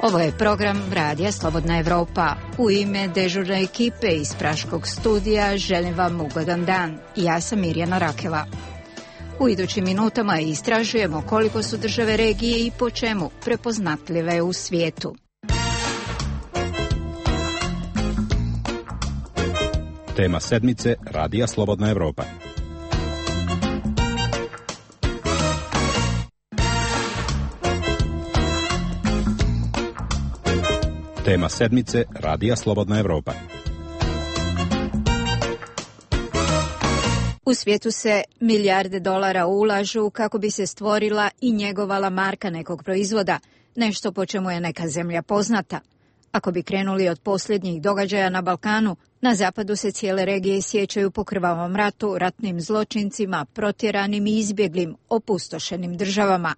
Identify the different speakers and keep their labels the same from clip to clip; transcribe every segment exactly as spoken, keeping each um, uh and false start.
Speaker 1: Ovo je program Radija Slobodna Evropa. U ime dežurne ekipe iz Praškog studija želim vam ugodan dan. Ja sam Mirjana Rakela. U idućim minutama istražujemo koliko su države regije i po čemu prepoznatljive u svijetu.
Speaker 2: Tema sedmice Radija Slobodna Evropa. Tema sedmice Radija Slobodna Evropa.
Speaker 1: U svijetu se milijarde dolara ulažu kako bi se stvorila i njegovala marka nekog proizvoda, nešto po čemu je neka zemlja poznata. Ako bi krenuli od posljednjih događaja na Balkanu, na zapadu se cijele regije sjećaju po krvavom ratu, ratnim zločincima, protjeranim i izbjeglim, opustošenim državama.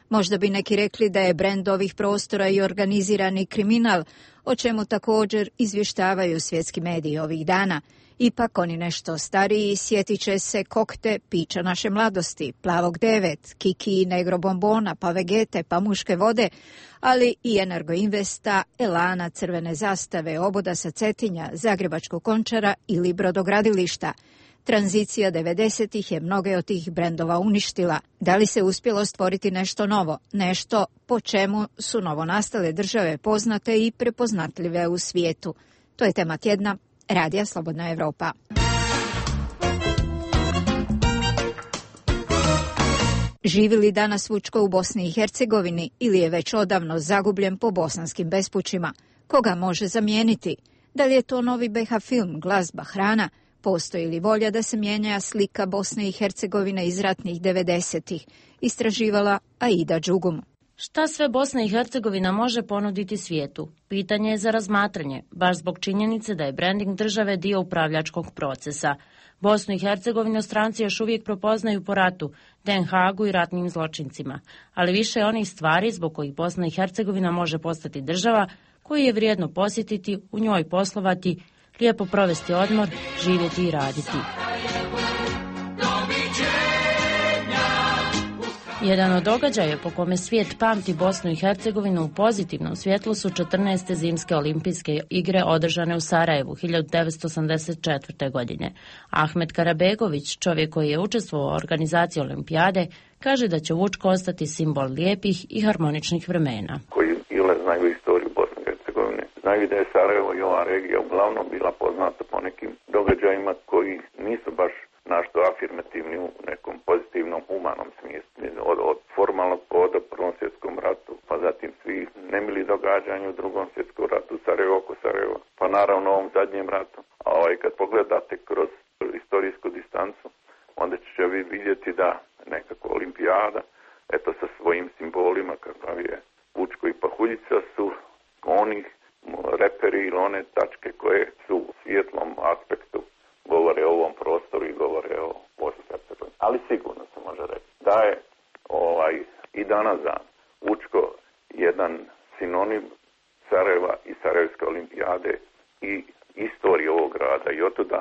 Speaker 1: Možda bi neki rekli da je brend ovih prostora i organizirani kriminal, o čemu također izvještavaju svjetski mediji ovih dana. Ipak oni nešto stariji sjetit će se kokte pića naše mladosti, Plavog devet, Kiki, Negro bombona, pa Vegete, pa Muške vode, ali i Energoinvesta, Elana, Crvene zastave, Oboda sa Cetinja, Zagrebačkog Končara ili brodogradilišta. Tranzicija devedesetih je mnoge od tih brendova uništila. Da li se uspjelo stvoriti nešto novo, nešto po čemu su novonastale države poznate i prepoznatljive u svijetu? To je tema tjedna Radija Slobodna Evropa. Živi li danas Vučko u Bosni i Hercegovini ili je već odavno zagubljen po bosanskim bespućima? Koga može zamijeniti? Da li je to novi B H film, glazba, hrana? Postoji li volja da se mijenja slika Bosne i Hercegovine iz ratnih devedesetih? Istraživala Aida Đugum.
Speaker 3: Šta sve Bosna i Hercegovina može ponuditi svijetu? Pitanje je za razmatranje, baš zbog činjenice da je branding države dio upravljačkog procesa. Bosnu i Hercegovinu stranci još uvijek prepoznaju po ratu, Den Haagu i ratnim zločincima, ali više je onih stvari zbog kojih Bosna i Hercegovina može postati država koju je vrijedno posjetiti, u njoj poslovati, lijepo provesti odmor, živjeti i raditi. Jedan od događaja po kome svijet pamti Bosnu i Hercegovinu u pozitivnom svjetlu su četrnaeste zimske olimpijske igre održane u Sarajevu hiljadu devetsto osamdeset četvrte. godine. Ahmet Karabegović, čovjek koji je učestvovao u organizaciji olimpijade, kaže da će Vučko ostati simbol lijepih i harmoničnih vremena.
Speaker 4: Koji ili znaju istoriju Bosne i Hercegovine, znaju da je Sarajevo i ova regija uglavnom bila poznata po nekim događajima koji nisu baš našto afirmativni u nekom pozitivnom, humanom smislu. Od, od formalnog povoda u Prvom svjetskom ratu, pa zatim svi nemili događanja u Drugom svjetskom ratu, Sarajevo oko Sarajeva, pa naravno ovom zadnjem ratu. A ovaj, kad pogledate kroz istorijsku distancu, onda ćete vi vidjeti da nekako olimpijada, eto sa svojim simbolima, kakav je Vučko i Pahuljica, su onih reperi ili one tačke koje su u svijetlom aspektu govore o ovom prostoru i govore o Bosni i Hercegovini. Ali sigurno se može reći da je ovaj, i danas dan Vučko jedan sinonim Sarajeva i Sarajevske olimpijade i istorije ovog grada i otuda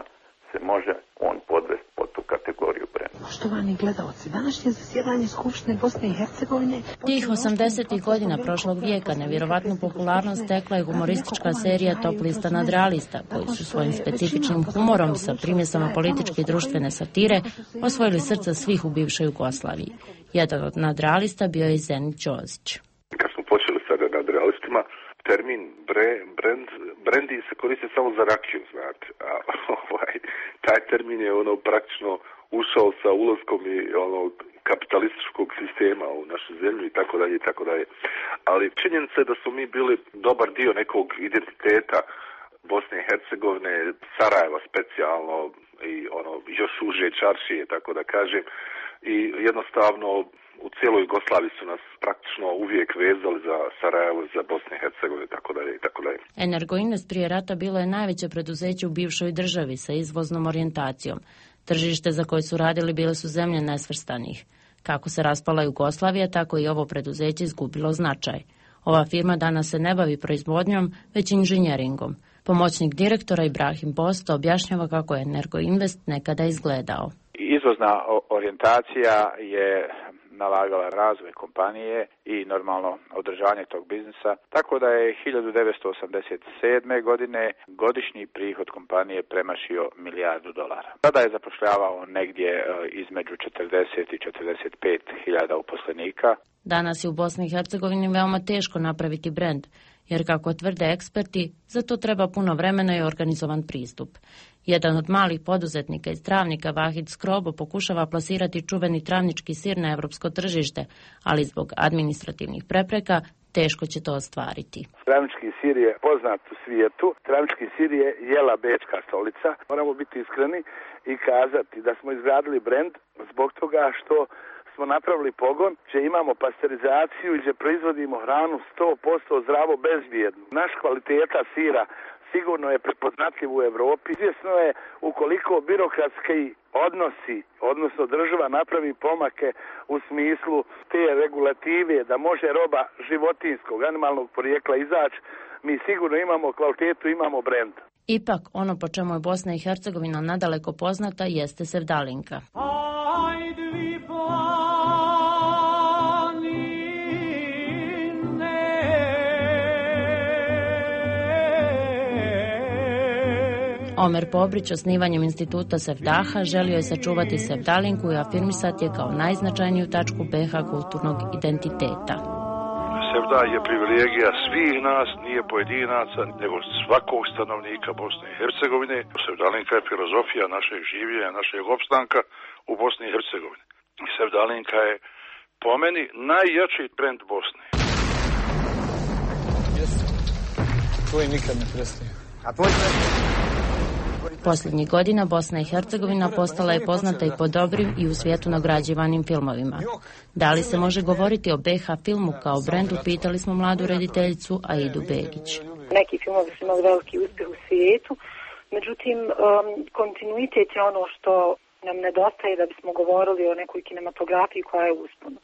Speaker 4: se može on podvesti pod tu kategoriju brenda.
Speaker 5: Poštovani gledalci, današnje zasjedanje Skupštine Bosne i Hercegovine...
Speaker 3: Tih osamdesetih godina prošlog vijeka nevjerovatnu popularnost stekla je humoristička serija Top lista nadrealista, koji su svojim specifičnim humorom sa primjesama političke i društvene satire osvojili srca svih u bivšoj Jugoslaviji. Jedan od nadrealista bio je Zenit Ćosić.
Speaker 6: Kad smo počeli sa nadrealistima, termin bre, brand, brendi se koristi samo za rakiju, znate. A, ovaj, taj termin je ono praktično ušao sa ulaskom i ono kapitalističkog sistema u našu zemlju i tako dalje i tako dalje. Ali činjenica je da smo mi bili dobar dio nekog identiteta Bosne i Hercegovine, Sarajeva specijalno i ono još uže čaršije, tako da kažem. I jednostavno u cijeloj Jugoslaviji su nas praktično uvijek vezali za Sarajevo, za Bosnu i Hercegovinu, tako dalje i tako dalje.
Speaker 3: Energoinvest prije rata bilo je najveće preduzeće u bivšoj državi sa izvoznom orijentacijom. Tržište za koje su radili bile su zemlje nesvrstanih. Kako se raspala Jugoslavija, tako i ovo preduzeće izgubilo značaj. Ova firma danas se ne bavi proizvodnjom, već inženjeringom. Pomoćnik direktora Ibrahim Posto objašnjava kako je Energoinvest nekada izgledao.
Speaker 7: Izvozna orijentacija je nalagala razvoj kompanije i normalno održanje tog biznisa, tako da je hiljadu devetsto osamdeset sedme. godine godišnji prihod kompanije premašio milijardu dolara. Tada je zapošljavao negdje između četrdeset i četrdeset pet hiljada uposlenika.
Speaker 3: Danas je u Bosni i Hercegovini veoma teško napraviti brend, jer kako tvrde eksperti, za to treba puno vremena i organizovan pristup. Jedan od malih poduzetnika iz Travnika, Vahid Skrobo, pokušava plasirati čuveni travnički sir na evropsko tržište, ali zbog administrativnih prepreka teško će to ostvariti.
Speaker 8: Travnički sir je poznat u svijetu. Travnički sir je jela bečka stolica. Moramo biti iskreni i kazati da smo izgradili brend zbog toga što smo napravili pogon gdje imamo pasterizaciju i gdje proizvodimo hranu sto posto zdravo bezbjednu. Naš kvaliteta sira sigurno je prepoznatljiv u Europi. Izvjesno je ukoliko birokratski odnosi, odnosno država napravi pomake u smislu te regulative da može roba životinjskog, animalnog porijekla izaći, mi sigurno imamo kvalitetu, imamo brend.
Speaker 3: Ipak, ono po čemu je Bosna i Hercegovina nadaleko poznata jeste sevdalinka. Omer Pobrić osnivanjem instituta Sevdaha želio je sačuvati sevdalinku i afirmisati je kao najznačajniju tačku B iH kulturnog identiteta.
Speaker 9: Sevda je privilegija svih nas, nije pojedinaca, nego svakog stanovnika Bosne i Hercegovine. Sevdalinka je filozofija našeg življenja, našeg opstanka u Bosni i Hercegovini. Sevdalinka je po meni najjači brend Bosne.
Speaker 10: Jesu. Tvoj nikad ne prestaje. A tvoj prestaje?
Speaker 3: Posljednjih godina Bosna i Hercegovina postala je poznata i po dobrim i u svijetu nagrađivanim filmovima. Da li se može govoriti o B iH filmu kao brendu, pitali smo mladu rediteljicu Aidu Begić.
Speaker 11: Neki filmovi su imali veliki uspjeh u svijetu, međutim um, kontinuitet je ono što nam nedostaje da bismo govorili o nekoj kinematografiji koja je usponu.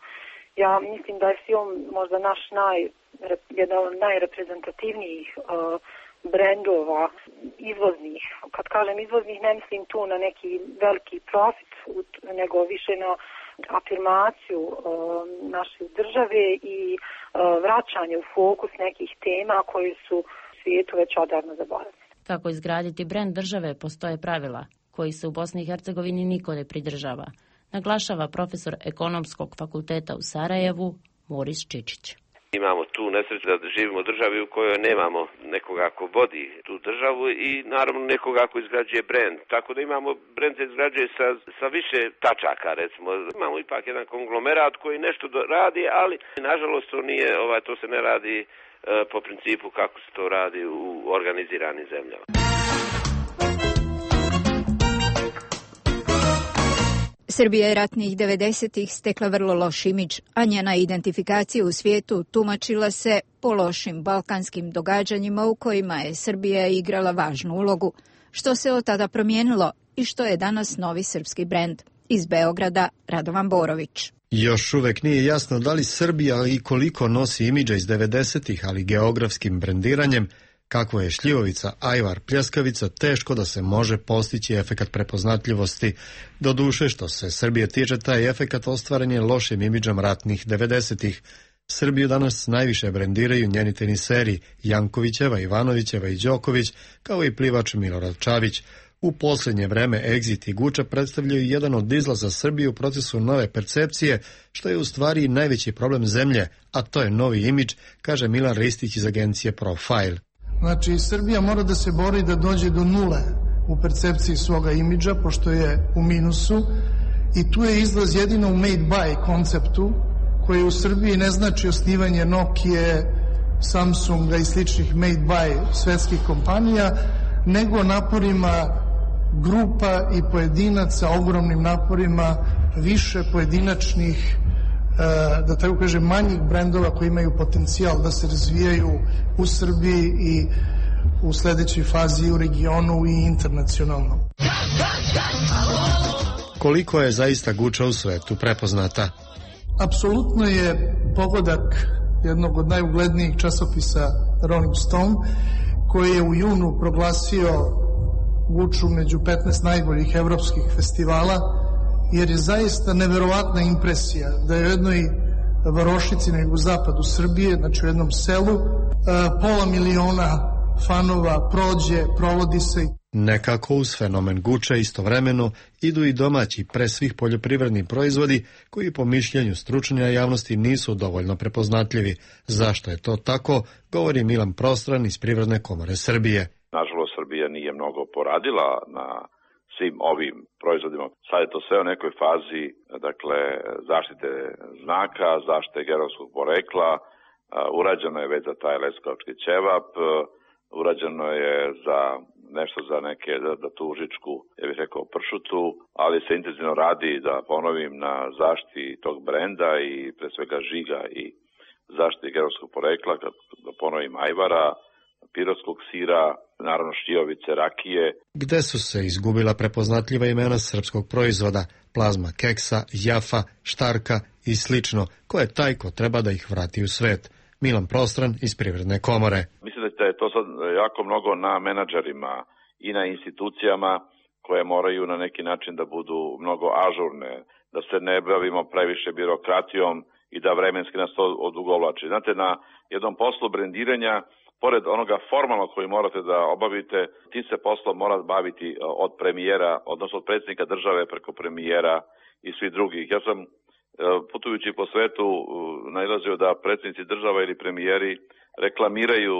Speaker 11: Ja mislim da je film možda naš naj, jedan od najreprezentativnijih uh, brendova izvoznih. Kad kažem izvoznih, ne mislim tu na neki veliki profit, nego više na afirmaciju uh, naše države i uh, vraćanje u fokus nekih tema koji su u svijetu već odavno zaboravljeni.
Speaker 3: Kako izgraditi brend države postoje pravila koji se u Bosni i Hercegovini niko ne pridržava, naglašava profesor Ekonomskog fakulteta u Sarajevu Moris Čičić.
Speaker 12: Imamo tu nesreću da živimo u državi u kojoj nemamo nekoga ko vodi tu državu i naravno nekoga ko izgrađuje brend. Tako da imamo brend se izgrađuje sa, sa više tačaka, recimo. Imamo ipak jedan konglomerat koji nešto radi, ali nažalost to nije, ovaj, to se ne radi e, po principu kako se to radi u organiziranim zemljama.
Speaker 1: Srbija je ratnih devedesetih stekla vrlo loš imidž, a njena identifikacija u svijetu tumačila se po lošim balkanskim događanjima u kojima je Srbija igrala važnu ulogu. Što se od tada promijenilo i što je danas novi srpski brend? Iz Beograda, Radovan Borović.
Speaker 13: Još uvek nije jasno da li Srbija i koliko nosi imidža iz devedesetih, ali geografskim brendiranjem, kako je šljivovica, ajvar, pljeskavica, teško da se može postići efekat prepoznatljivosti. Doduše, što se Srbije tiče, taj efekat ostvaren je lošim imidžom ratnih devedesetih. Srbiju danas najviše brendiraju njeni teniseri Jankovićeva, Ivanovićeva i Đoković, kao i plivač Milorad Čavić. U posljednje vreme Exit i Guča predstavljaju jedan od izlaza Srbije u procesu nove percepcije, što je u stvari najveći problem zemlje, a to je novi imidž, kaže Milan Ristić iz agencije Profile.
Speaker 14: Znači, Srbija mora da se bori da dođe do nule u percepciji svoga imidža, pošto je u minusu, i tu je izlaz jedino u made by konceptu, koji u Srbiji ne znači osnivanje Nokije, Samsunga i sličnih made by svetskih kompanija, nego naporima grupa i pojedinaca, ogromnim naporima više pojedinačnih, da tako kažem, manjih brendova koji imaju potencijal da se razvijaju u Srbiji i u sledećoj fazi u regionu i internacionalno.
Speaker 13: Koliko je zaista Guča u svetu prepoznata?
Speaker 14: Apsolutno je pogodak jednog od najuglednijih časopisa Rolling Stone, koji je u junu proglasio Guču među petnaest najboljih evropskih festivala jer je zaista neverovatna impresija da je u jednoj varošici nego u zapadu Srbije, znači u jednom selu, pola miliona fanova prođe, provodi se.
Speaker 13: Nekako uz fenomen Guče istovremeno idu i domaći, pre svih poljoprivredni proizvodi koji po mišljenju stručnja javnosti nisu dovoljno prepoznatljivi. Zašto je to tako, govori Milan Prostran iz Privredne komore Srbije.
Speaker 15: Nažalost, Srbija nije mnogo poradila na svim ovim proizvodima. Sad je to sve u nekoj fazi, dakle, zaštite znaka, zaštite geografskog porekla, urađeno je već za taj leskovački ćevap, urađeno je za nešto za neke, za, za tu užičku, ja bih rekao, pršutu, ali se intenzivno radi, da ponovim, na zaštiti tog brenda i pre svega žiga i zaštiti geografskog porekla, da ponovim, ajvara, pirotskog sira, naravno šljivovice, rakije.
Speaker 13: Gde su se izgubila prepoznatljiva imena srpskog proizvoda, plazma keksa, jafa, štarka i slično, ko je taj ko treba da ih vrati u svet? Milan Prostran iz Privredne komore.
Speaker 15: Mislim da je to sad jako mnogo na menadžerima i na institucijama koje moraju na neki način da budu mnogo ažurne, da se ne bavimo previše birokratijom i da vremenski nas to odugovlači. Znate, na jednom poslu brendiranja, pored onoga formalnog koji morate da obavite, tim se poslom mora baviti od premijera, odnosno od predsjednika države preko premijera i svih drugih. Ja sam putujući po svetu nailazio da predsjednici država ili premijeri reklamiraju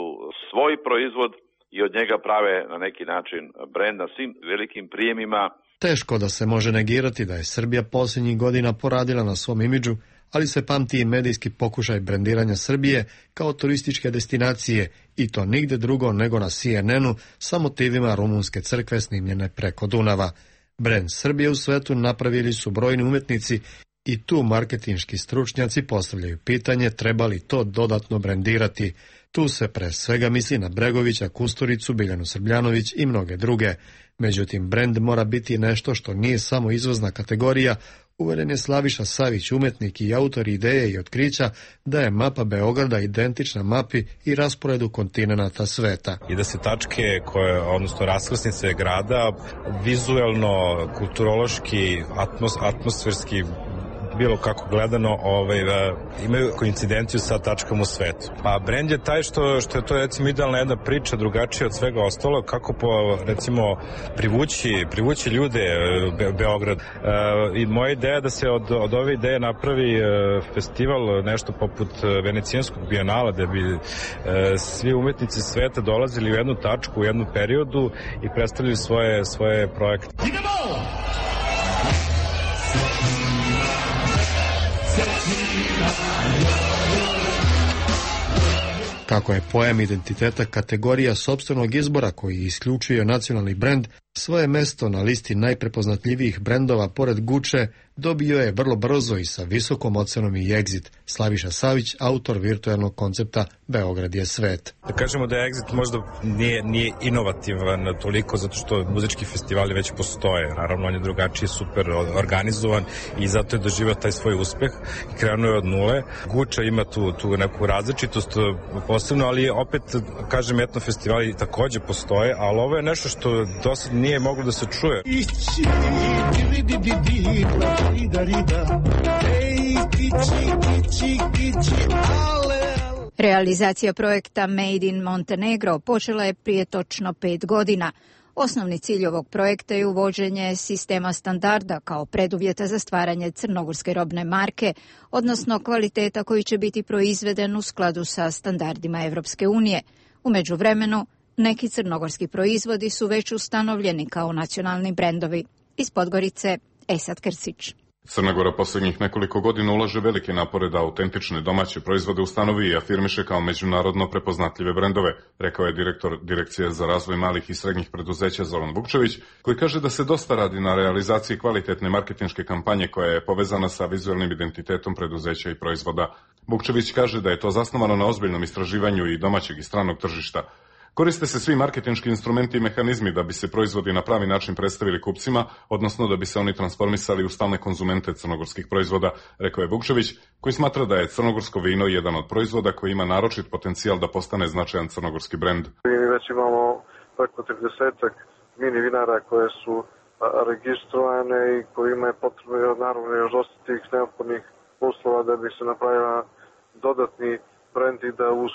Speaker 15: svoj proizvod i od njega prave na neki način brend na svim velikim prijemima.
Speaker 13: Teško da se može negirati da je Srbija posljednjih godina poradila na svom imidžu, ali se pamti i medijski pokušaj brendiranja Srbije kao turističke destinacije, i to nigde drugo nego na C N N-u sa motivima rumunske crkve snimljene preko Dunava. Brend Srbije u svetu napravili su brojni umetnici i tu marketinški stručnjaci postavljaju pitanje treba li to dodatno brendirati. Tu se pre svega misli na Bregovića, Kusturicu, Biljanu Srbljanović i mnoge druge. Međutim, brend mora biti nešto što nije samo izvozna kategorija. Uveren je Slaviša Savić, umetnik i autor ideje i otkrića da je mapa Beograda identična mapi i rasporedu kontinenata sveta.
Speaker 2: I da se tačke, koje, odnosno raskrsnice grada, vizuelno, kulturološki, atmos, atmosferski, bilo kako gledano, ovaj, imaju koincidenciju sa tačkom u svetu. Pa brend je taj što, što je to recimo idealna jedna priča, drugačija od svega ostalo, kako po, recimo privući, privući ljude Be, Beograd. E, I moja ideja je da se od, od ove ideje napravi e, festival, nešto poput Venecijanskog bijenala, da bi e, svi umetnici sveta dolazili u jednu tačku, u jednu periodu i predstavljali svoje, svoje projekte. Idemo!
Speaker 13: Kako je pojam identiteta kategorija sopstvenog izbora koji isključuje nacionalni brend, svoje mesto na listi najprepoznatljivijih brendova pored Guče dobio je vrlo brzo i sa visokom ocenom i Exit. Slaviša Savić, autor virtualnog koncepta Beograd je svet.
Speaker 2: Da kažemo da je Exit možda nije, nije inovativan toliko zato što muzički festivali već postoje. Naravno, on je drugačiji, super organizovan i zato je doživio taj svoj uspeh i krenuo je od nule. Guča ima tu, tu neku različitost posebno, ali opet, kažem, etno festivali takođe postoje, ali ovo je nešto što dosad nije moglo da se čuje.
Speaker 1: Realizacija projekta Made in Montenegro počela je prije točno pet godina. Osnovni cilj ovog projekta je uvođenje sistema standarda kao preduvjeta za stvaranje crnogorske robne marke, odnosno kvaliteta koji će biti proizveden u skladu sa standardima Evropske unije. U međuvremenu, neki crnogorski proizvodi su već ustanovljeni kao nacionalni brendovi. Iz Podgorice, Esad Krsić.
Speaker 16: Crna Gora posljednjih nekoliko godina ulaže velike napore da autentične domaće proizvode ustanovi i afirmiše kao međunarodno prepoznatljive brendove, rekao je direktor Direkcije za razvoj malih i srednjih preduzeća Zoran Vukčević, koji kaže da se dosta radi na realizaciji kvalitetne marketinške kampanje koja je povezana sa vizualnim identitetom preduzeća i proizvoda. Vukčević kaže da je to zasnovano na ozbiljnom istraživanju i domaćeg i stranog tržišta. Koriste se svi marketinški instrumenti i mehanizmi da bi se proizvodi na pravi način predstavili kupcima, odnosno da bi se oni transformisali u stalne konzumente crnogorskih proizvoda, rekao je Vukčević, koji smatra da je crnogorsko vino jedan od proizvoda koji ima naročit potencijal da postane značajan crnogorski brend.
Speaker 17: Mi već imamo preko tridesetak mini vinara koje su registrovane i kojima je potrebno naravno još dosta tih neophodnih uslova da bi se napravila dodatni brend i da uz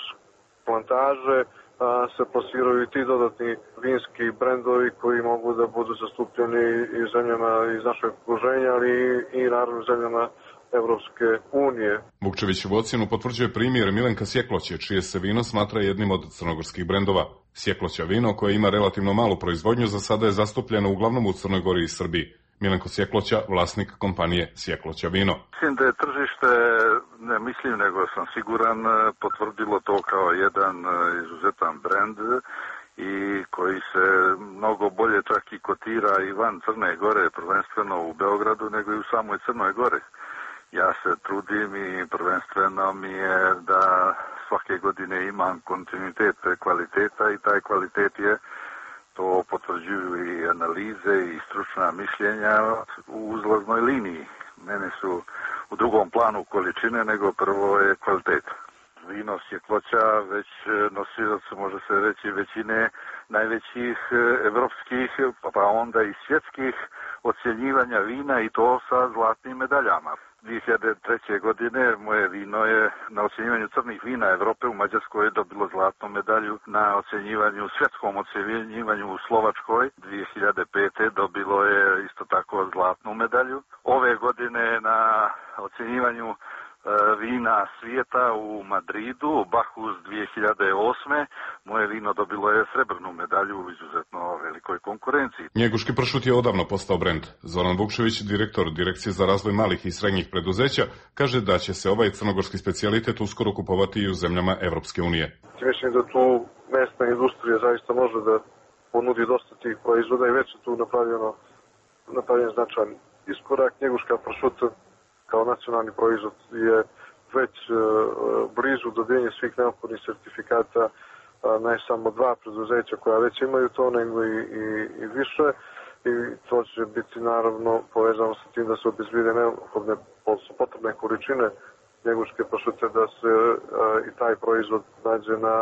Speaker 17: plantaže a, se plasiraju i ti dodatni vinski brendovi koji mogu da budu zastupljeni i zemljama iz našeg okruženja, ali i, i naravno zemljama Evropske unije.
Speaker 16: Vukčevićevu ocjenu potvrđuje primjer Milenka Sjekloće, čije se vino smatra jednim od crnogorskih brendova. Sjekloća vino, koje ima relativno malu proizvodnju, za sada je zastupljeno uglavnom u Crnoj Gori i Srbiji. Milenko Sjekloća, vlasnik kompanije Sjekloća vino.
Speaker 18: Mislim da je tržište, ne mislim nego sam siguran, potvrdilo to kao jedan izuzetan brend i koji se mnogo bolje čak i kotira i van Crne Gore, prvenstveno u Beogradu, nego i u samoj Crnoj Gori. Ja se trudim i prvenstveno mi je da svake godine imam kontinuitet kvaliteta i taj kvalitet je, to potvrđuju i analize i stručna mišljenja u uzlaznoj liniji. Mene su u drugom planu količine, nego prvo je kvalitet. Vino Sjekloća već nosilac, može se reći, većine najvećih evropskih, pa onda i svjetskih ocjenjivanja vina i to sa zlatnim medaljama. dvije hiljade treće. godine moje vino je na ocjenjivanju crnih vina Evrope u Mađarskoj dobilo zlatnu medalju, na ocjenjivanju, svjetskom ocjenjivanju u Slovačkoj dvije hiljade pete. dobilo je isto tako zlatnu medalju. Ove godine na ocjenjivanju vina svijeta u Madridu, Bacchus dvije hiljade osme. moje vino dobilo je srebrnu medalju u izuzetno velikoj konkurenciji.
Speaker 16: Njeguški pršut je odavno postao brend. Zoran Vukčević, direktor Direkcije za razvoj malih i srednjih preduzeća, kaže da će se ovaj crnogorski specijalitet uskoro kupovati i u zemljama Evropske unije.
Speaker 17: Mislim da tu mesna industrija zaista može da ponudi dosta tih proizvoda i već je tu napravljeno, napravljen značajan iskorak. Njeguška pršut kao nacionalni proizvod je već uh, blizu dobijenja svih neophodnih sertifikata, uh, ne samo dva preduzeća koja već imaju to, nego i, i, i više. I to će biti naravno povezano sa tim da se obezbede neophodne potrebne količine njeguške pršute, da se uh, i taj proizvod nađe na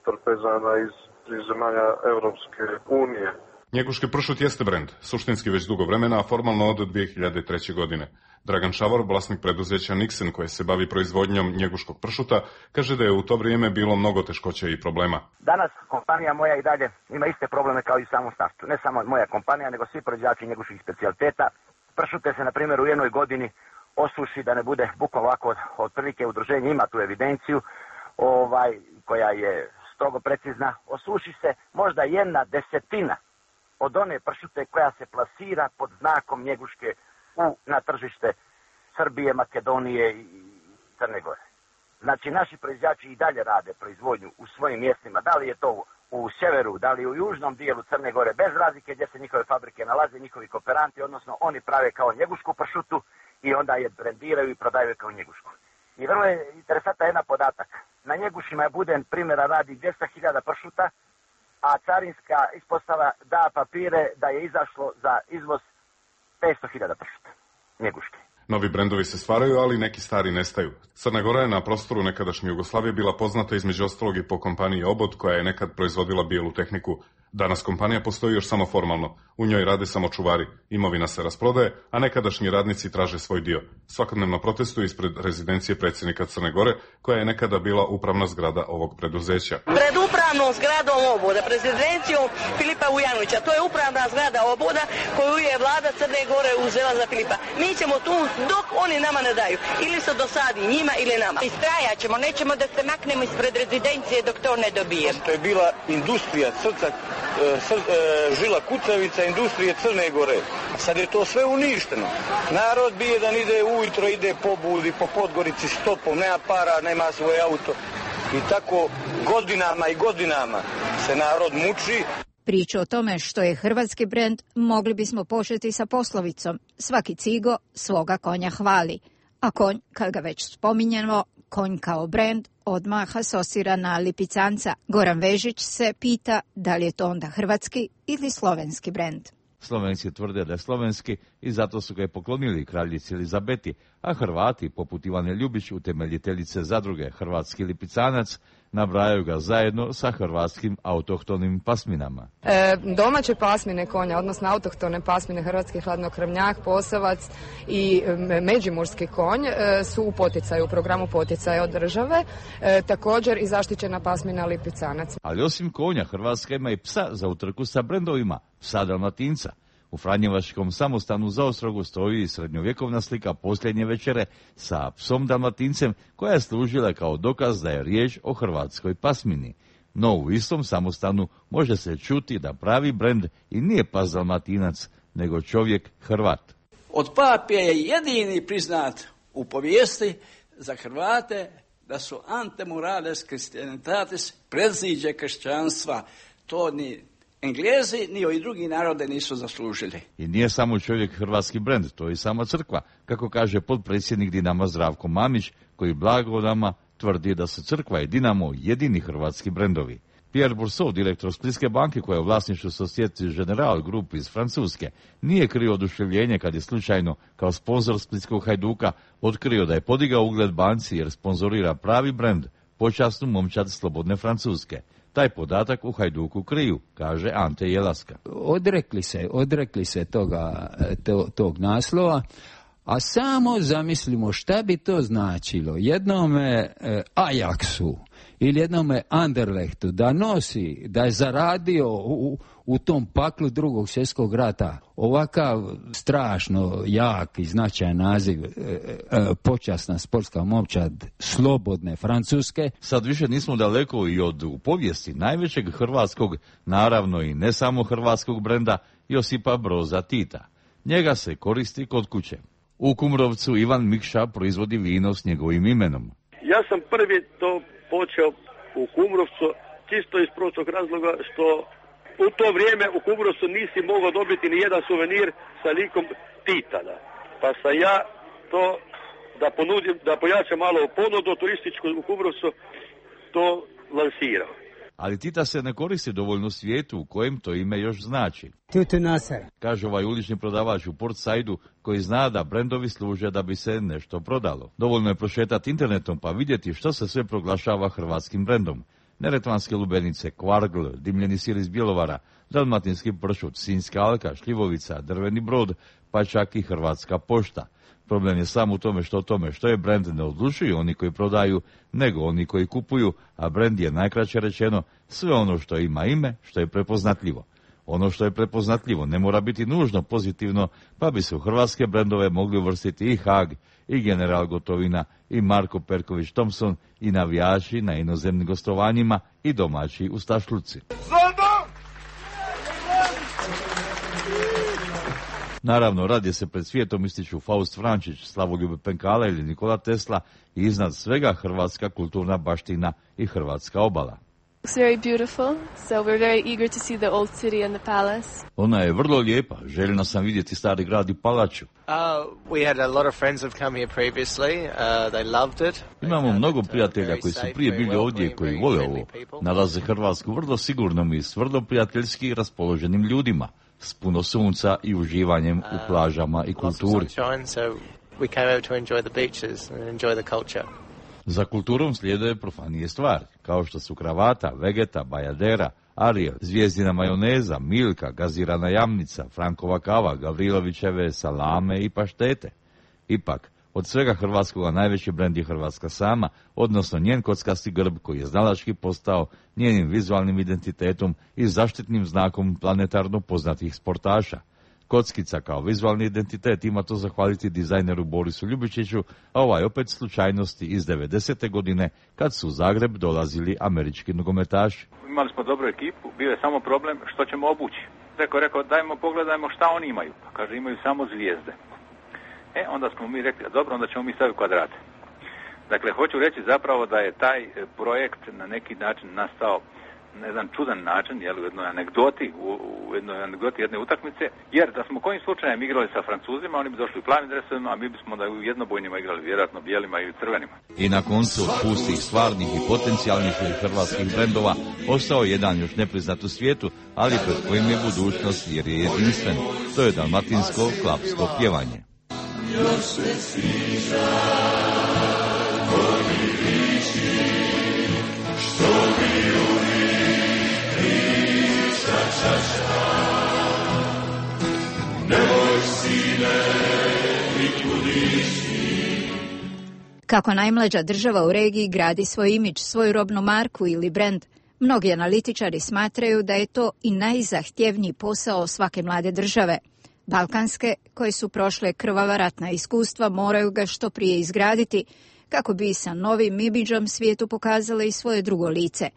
Speaker 17: trpezama iz, iz zemalja Evropske unije.
Speaker 16: Njeguški pršut jeste brend, suštinski već dugo vremena, a formalno od dvije hiljade treće. godine. Dragan Šavor, vlasnik preduzeća Nixen, koje se bavi proizvodnjom njeguškog pršuta, kaže da je u to vrijeme bilo mnogo teškoća i problema.
Speaker 19: Danas kompanija moja i dalje ima iste probleme kao i u samom startu. Ne samo moja kompanija, nego svi proizvođači njeguških specijaliteta. Pršute se, na primjer, u jednoj godini osuši, da ne bude bukvalno ovako, otprilike udruženje ima tu evidenciju, ovaj, koja je strogo precizna. Osuši se možda jedna desetina od one pršute koja se plasira pod znakom njeguške u, na tržište Srbije, Makedonije i Crne Gore. Znači, naši proizvođači i dalje rade proizvodnju u svojim mjestima, da li je to u sjeveru, da li u južnom dijelu Crne Gore, bez razlike gdje se njihove fabrike nalaze, njihovi kooperanti, odnosno oni prave kao njegušku pršutu i onda je brendiraju i prodaju kao njegušku. I vrlo je interesantan jedan podatak. Na njegušima je Buden primjera radi dvjesto hiljada pršuta, a carinska ispostava da papire da je izašlo za izvoz petsto hiljada pršuta njeguške.
Speaker 16: Novi brendovi se stvaraju, ali neki stari nestaju. Crna Gora je na prostoru nekadašnje Jugoslavije bila poznata između ostalog i po kompaniji Obod, koja je nekad proizvodila bijelu tehniku. Danas kompanija postoji još samo formalno. U njoj rade samo čuvari. Imovina se rasprodaje, a nekadašnji radnici traže svoj dio. Svakodnevno protestuju ispred rezidencije predsjednika Crne Gore, koja je nekada bila upravna zgrada ovog preduzeća.
Speaker 20: Pred upravnom zgradom Oboda, rezidencijom Filipa Vujanovića, to je upravna zgrada Oboda koju je vlada Crne Gore uzela za Filipa. Mi ćemo tu dok oni nama ne daju. Ili se dosadi njima ili nama.
Speaker 21: Istrajat ćemo, nećemo da se maknemo ispred rezidencije dok to ne dobijemo.
Speaker 22: To je bila industrija srca, žila kucavica industrije Crne Gore. Sad je to sve uništeno. Narod bi jedan ide ujutro, ide po Budi, po Podgorici stopom, nema para, nema svoj auto. I tako godinama i godinama se narod muči.
Speaker 1: Priču o tome što je hrvatski brend mogli bismo početi sa poslovicom svaki cigo svoga konja hvali, a konj, kad ga već spominjemo, konj kao brend odmah asocira na lipicanca. Goran Vežić se pita da li je to onda hrvatski ili slovenski brend.
Speaker 23: Slovenci tvrde da je slovenski i zato su ga i poklonili kraljici Elizabeti, a Hrvati, poput Ivane Ljubić, utemeljiteljice zadruge Hrvatski lipicanac, nabrajaju ga zajedno sa hrvatskim autohtonim pasminama.
Speaker 4: E, domaće pasmine konja, odnosno autohtone pasmine, hrvatski hladnokrvnjak, posavac i međimurski konj e, su u poticaju, u programu poticaja od države, e, također i zaštićena pasmina lipicanac.
Speaker 23: Ali osim konja, Hrvatska ima i psa za utrku sa brendovima, psa Dalmatinca. U Franjevačkom samostanu za Ostrogu stoji srednjovjekovna slika posljednje večere sa psom Dalmatincem koja je služila kao dokaz da je riječ o hrvatskoj pasmini. No u istom samostanu može se čuti da pravi brend i nije pas Dalmatinac, nego čovjek Hrvat.
Speaker 5: Od pape je jedini priznat u povijesti za Hrvate da su antemurales christianitatis, predziđe kršćanstva. To ni Englezi ni ovi drugi narode nisu zaslužili.
Speaker 23: I nije samo čovjek hrvatski brend, to je i sama crkva, kako kaže potpredsjednik Dinama Zdravko Mamić, koji blago nama tvrdi da su crkva i Dinamo jedini hrvatski brendovi. Pierre Bourseau, direktor Splitske banke koja je u vlasništvu Societe Generale Group iz Francuske, nije krio oduševljenje kad je slučajno kao sponzor Splitskog Hajduka otkrio da je podigao ugled banci jer sponzorira pravi brend, počasnu momčad slobodne Francuske. Taj podatak u Hajduku kriju, kaže Ante Jelaska.
Speaker 6: Odrekli se, odrekli se toga, to, tog naslova, a samo zamislimo šta bi to značilo jednome e, Ajaxu ili jednome Anderlechtu da nosi, da je zaradio u, u tom paklu drugog svjetskog rata ovakav strašno jak i značajan naziv e, e, počasna sportska momčad slobodne Francuske.
Speaker 23: Sad više nismo daleko i od u povijesti najvećeg hrvatskog, naravno i ne samo hrvatskog brenda, Josipa Broza Tita. Njega se koristi kod kuće. U Kumrovcu Ivan Mikša proizvodi vino s njegovim imenom.
Speaker 24: Ja sam prvi to počeo u Kumrovcu, čisto iz prostog razloga što u to vrijeme u Kumrovcu nisi mogao dobiti ni jedan suvenir sa likom Tita. Da. Pa sam ja to, da ponudim, da pojačam malo ponudu turističku u Kumrovcu, to lansirao.
Speaker 23: Ali Tita se ne koristi dovoljno svijetu u kojem to ime još znači.
Speaker 25: Tutu Nasar,
Speaker 23: kaže ovaj ulični prodavač u Port Saidu koji zna da brendovi služe da bi se nešto prodalo. Dovoljno je prošetati internetom pa vidjeti što se sve proglašava hrvatskim brendom. Neretvanske lubenice, kvargl, dimljeni sir iz Bjelovara, dalmatinski pršut, sinjska alka, šljivovica, drveni brod, pa čak i hrvatska pošta. Problem je samo u tome što o tome što je brend ne odlučuju oni koji prodaju, nego oni koji kupuju, a brend je najkraće rečeno sve ono što ima ime, što je prepoznatljivo. Ono što je prepoznatljivo ne mora biti nužno pozitivno, pa bi se u hrvatske brendove mogli uvrstiti i Haag, i General Gotovina, i Marko Perković Thompson, i navijači na inozemnim gostovanjima, i domaći u Stašluci. Naravno, radije se pred svijetom ističu Faust Vrančić, Slavoljub Penkala ili Nikola Tesla i iznad svega hrvatska kulturna baština i hrvatska obala.
Speaker 26: It's very beautiful, so we're very eager to see the old city and the palace.
Speaker 23: Ona je vrlo lijepa, željna sam vidjeti stari grad i palaču.
Speaker 27: Uh, we had a lot of friends who've come here previously. Uh, they loved it.
Speaker 23: Imamo mnogo prijatelja koji su prije bili ovdje i koji vole ovo. Nalaze Hrvatsku vrlo sigurnom i s vrlo prijateljski raspoloženim ljudima, s puno sunca i uživanjem u plažama i kulturi. Za kulturom slijede profanije stvari, kao što su kravata, vegeta, bajadera, Ariel, zvijezdina majoneza, Milka, gazirana jamnica, Frankova kava, Gavrilovićeve salame i paštete. Ipak, od svega hrvatskoga najveći brend je Hrvatska sama, odnosno njen kockasti grb koji je znalački postao njenim vizualnim identitetom i zaštitnim znakom planetarno poznatih sportaša. Kockica kao vizualni identitet ima to zahvaliti dizajneru Borisu Ljubičiću, a ovaj opet slučajnosti iz devedesete godine kad su u Zagreb dolazili američki nogometaši.
Speaker 28: Imali smo dobru ekipu, bio je samo problem što ćemo obući. Rekao, rekao, dajmo pogledajmo šta oni imaju. Pa kaže, imaju samo zvijezde. E, onda smo mi rekli, dobro, onda ćemo mi staviti kvadrate. Dakle, hoću reći zapravo da je taj projekt na neki način nastao na jedan čudan način, jel, u jednoj anegdoti, u, u jednoj anegdoti jedne utakmice, jer da smo kojim slučajem igrali sa Francuzima, oni bi došli u plavim dresovima, a mi bismo da u jednobojnima igrali vjerojatno bijelima i crvenima.
Speaker 23: I na koncu od pustih, stvarnih i potencijalnih hrvatskih brendova ostao jedan još nepriznat u svijetu, ali pred kojim je budućnost jer je jedinstven. To je dalmatinsko klapsko pjevanje. Još se sviđa, koji liči, što
Speaker 1: Kako najmlađa država u regiji gradi svoj imidž, svoju robnu marku ili brend, mnogi analitičari smatraju da je to i najzahtjevniji posao svake mlade države. Balkanske, koje su prošle krvava ratna iskustva, moraju ga što prije izgraditi, kako bi sa novim imidžom svijetu pokazale i svoje drugo lice.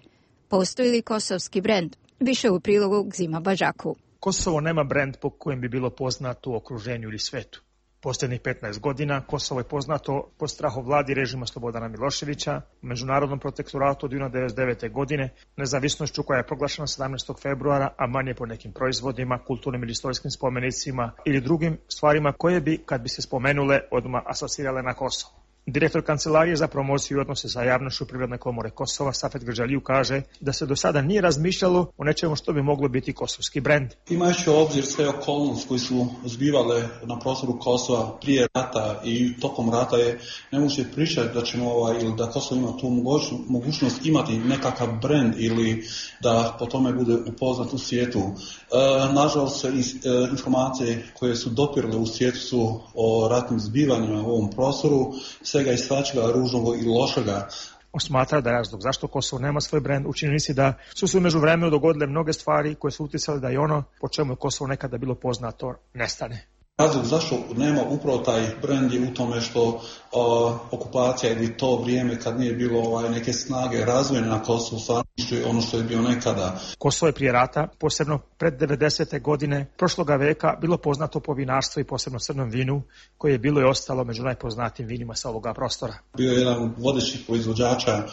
Speaker 1: Postoji li kosovski brend? Više u prilogu Gzima Bađaku.
Speaker 3: Kosovo nema brend po kojem bi bilo poznato u okruženju ili svetu. Posljednjih petnaest godina Kosovo je poznato po strahovladi režima Slobodana Miloševića, međunarodnom protektoratu od devedeset devete. godine, nezavisnošću koja je proglašena sedamnaestog februara, a manje po nekim proizvodima, kulturnim ili istorijskim spomenicima ili drugim stvarima koje bi, kad bi se spomenule, odmah asocirale na Kosovo. Direktor Kancelarije za promociju i odnose sa javnošću Privredne komore Kosova, Safet Grđaliju, kaže da se do sada nije razmišljalo o nečemu što bi moglo biti kosovski brend.
Speaker 7: Imajući u obzir sve okolnosti koji su zbivale na prostoru Kosova prije rata i tokom rata, je nemoguće pričati da ćemo ovaj, ili da Kosovo ima tu mogućnost imati nekakav brend ili da po tome bude upoznat u svijetu. E, nažalost, informacije koje su dopirale u svijetu su o ratnim zbivanjima u ovom prostoru, svega i svačega, ružnog i lošega.
Speaker 3: On smatra da je razlog zašto Kosovo nema svoj brend u činjenici da su se u međuvremenu dogodile mnoge stvari koje su utjecale da i ono po čemu je Kosovo nekada bilo poznato nestane.
Speaker 7: Razlog zašto nema upravo taj brend je u tome što uh, okupacija ili to vrijeme kad nije bilo ovaj, neke snage razvojene na Kosovu, stvarno je ono što je bio nekada.
Speaker 3: Kosovo je prije rata, posebno pred devedesete. godine prošloga veka, bilo poznato po vinarstvu i posebno crnom vinu, koje je bilo i ostalo među najpoznatijim vinima sa ovoga prostora.
Speaker 7: Bio je jedan od vodećih proizvođača uh,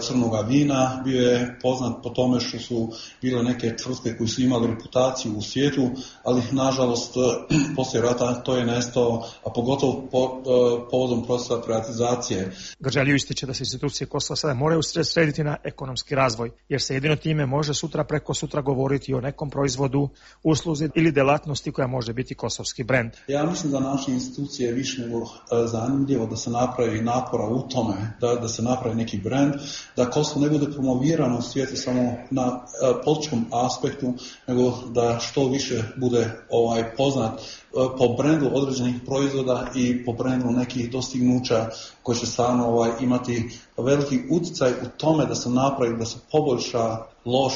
Speaker 7: crnoga vina, bio je poznat po tome što su bile neke tvrtke koji su imali reputaciju u svijetu, ali nažalost poslije rata to je nestao, a pogotovo po, uh, povodom procesa privatizacije.
Speaker 3: Grđaliju ističe da se institucije Kosova sada moraju srediti na ekonomski razvoj, jer se jedino time može sutra preko sutra govoriti o nekom proizvodu, usluzi ili delatnosti koja može biti kosovski brend.
Speaker 7: Ja mislim da naše institucije više nego uh, zanimljivo da se napravi napora u tome, da, da se napravi neki brend, da Kosovo ne bude promovirano u svijetu samo na uh, političkom aspektu, nego da što više bude ovaj poznat po brendu određenih proizvoda i po brendu nekih dostignuća koji će stvarno ovaj, imati veliki utjecaj u tome da se napravi, da se poboljša loš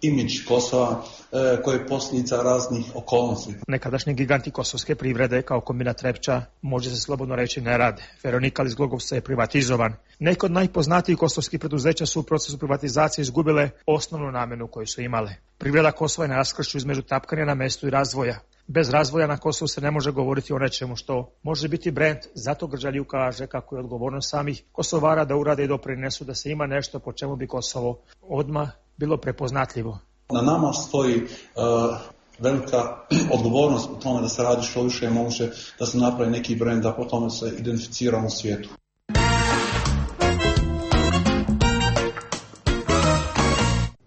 Speaker 7: imidž Kosova e, koji je posljedica raznih okolnosti.
Speaker 3: Nekadašnji giganti kosovske privrede kao kombinat Trepča, može se slobodno reći, ne rade. Veronikal iz Glogovca je privatizovan. Neke od najpoznatijih kosovskih preduzeća su u procesu privatizacije izgubile osnovnu namjenu koju su imale. Privreda Kosova je na raskršću između tapkanja na mestu i razvoja. Bez razvoja na Kosovu se ne može govoriti o nečemu što može biti brend, zato Grđaliju kaže kako je odgovornost samih Kosovara da urade i doprinesu da se ima nešto po čemu bi Kosovo odmah bilo prepoznatljivo.
Speaker 7: Na nama stoji uh, velika odgovornost u tome da se radi što više je moguće, da se napravi neki brend, da po tome se identificiramo u svijetu.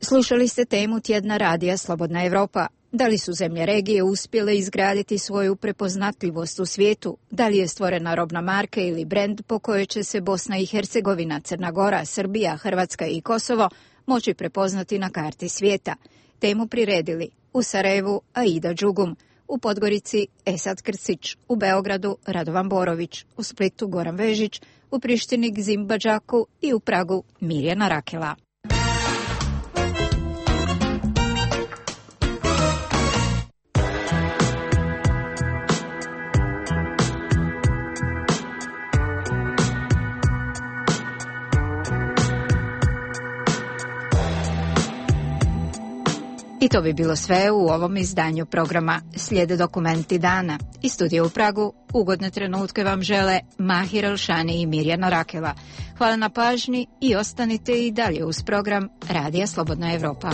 Speaker 1: Slušali ste temu tjedna radija Slobodna Evropa. Da li su zemlje regije uspjele izgraditi svoju prepoznatljivost u svijetu? Da li je stvorena robna marka ili brend po kojoj će se Bosna i Hercegovina, Crna Gora, Srbija, Hrvatska i Kosovo moći prepoznati na karti svijeta? Temu priredili u Sarajevu Aida Đugum, u Podgorici Esad Krcić, u Beogradu Radovan Borović, u Splitu Goran Vežić, u Prištini Gzim Bađaku i u Pragu Mirjana Rakela. I to bi bilo sve u ovom izdanju programa. Slijede dokumenti dana. Iz studija u Pragu ugodne trenutke vam žele Mahir Elšani i Mirjana Rakela. Hvala na pažnji i ostanite i dalje uz program Radija Slobodna Evropa.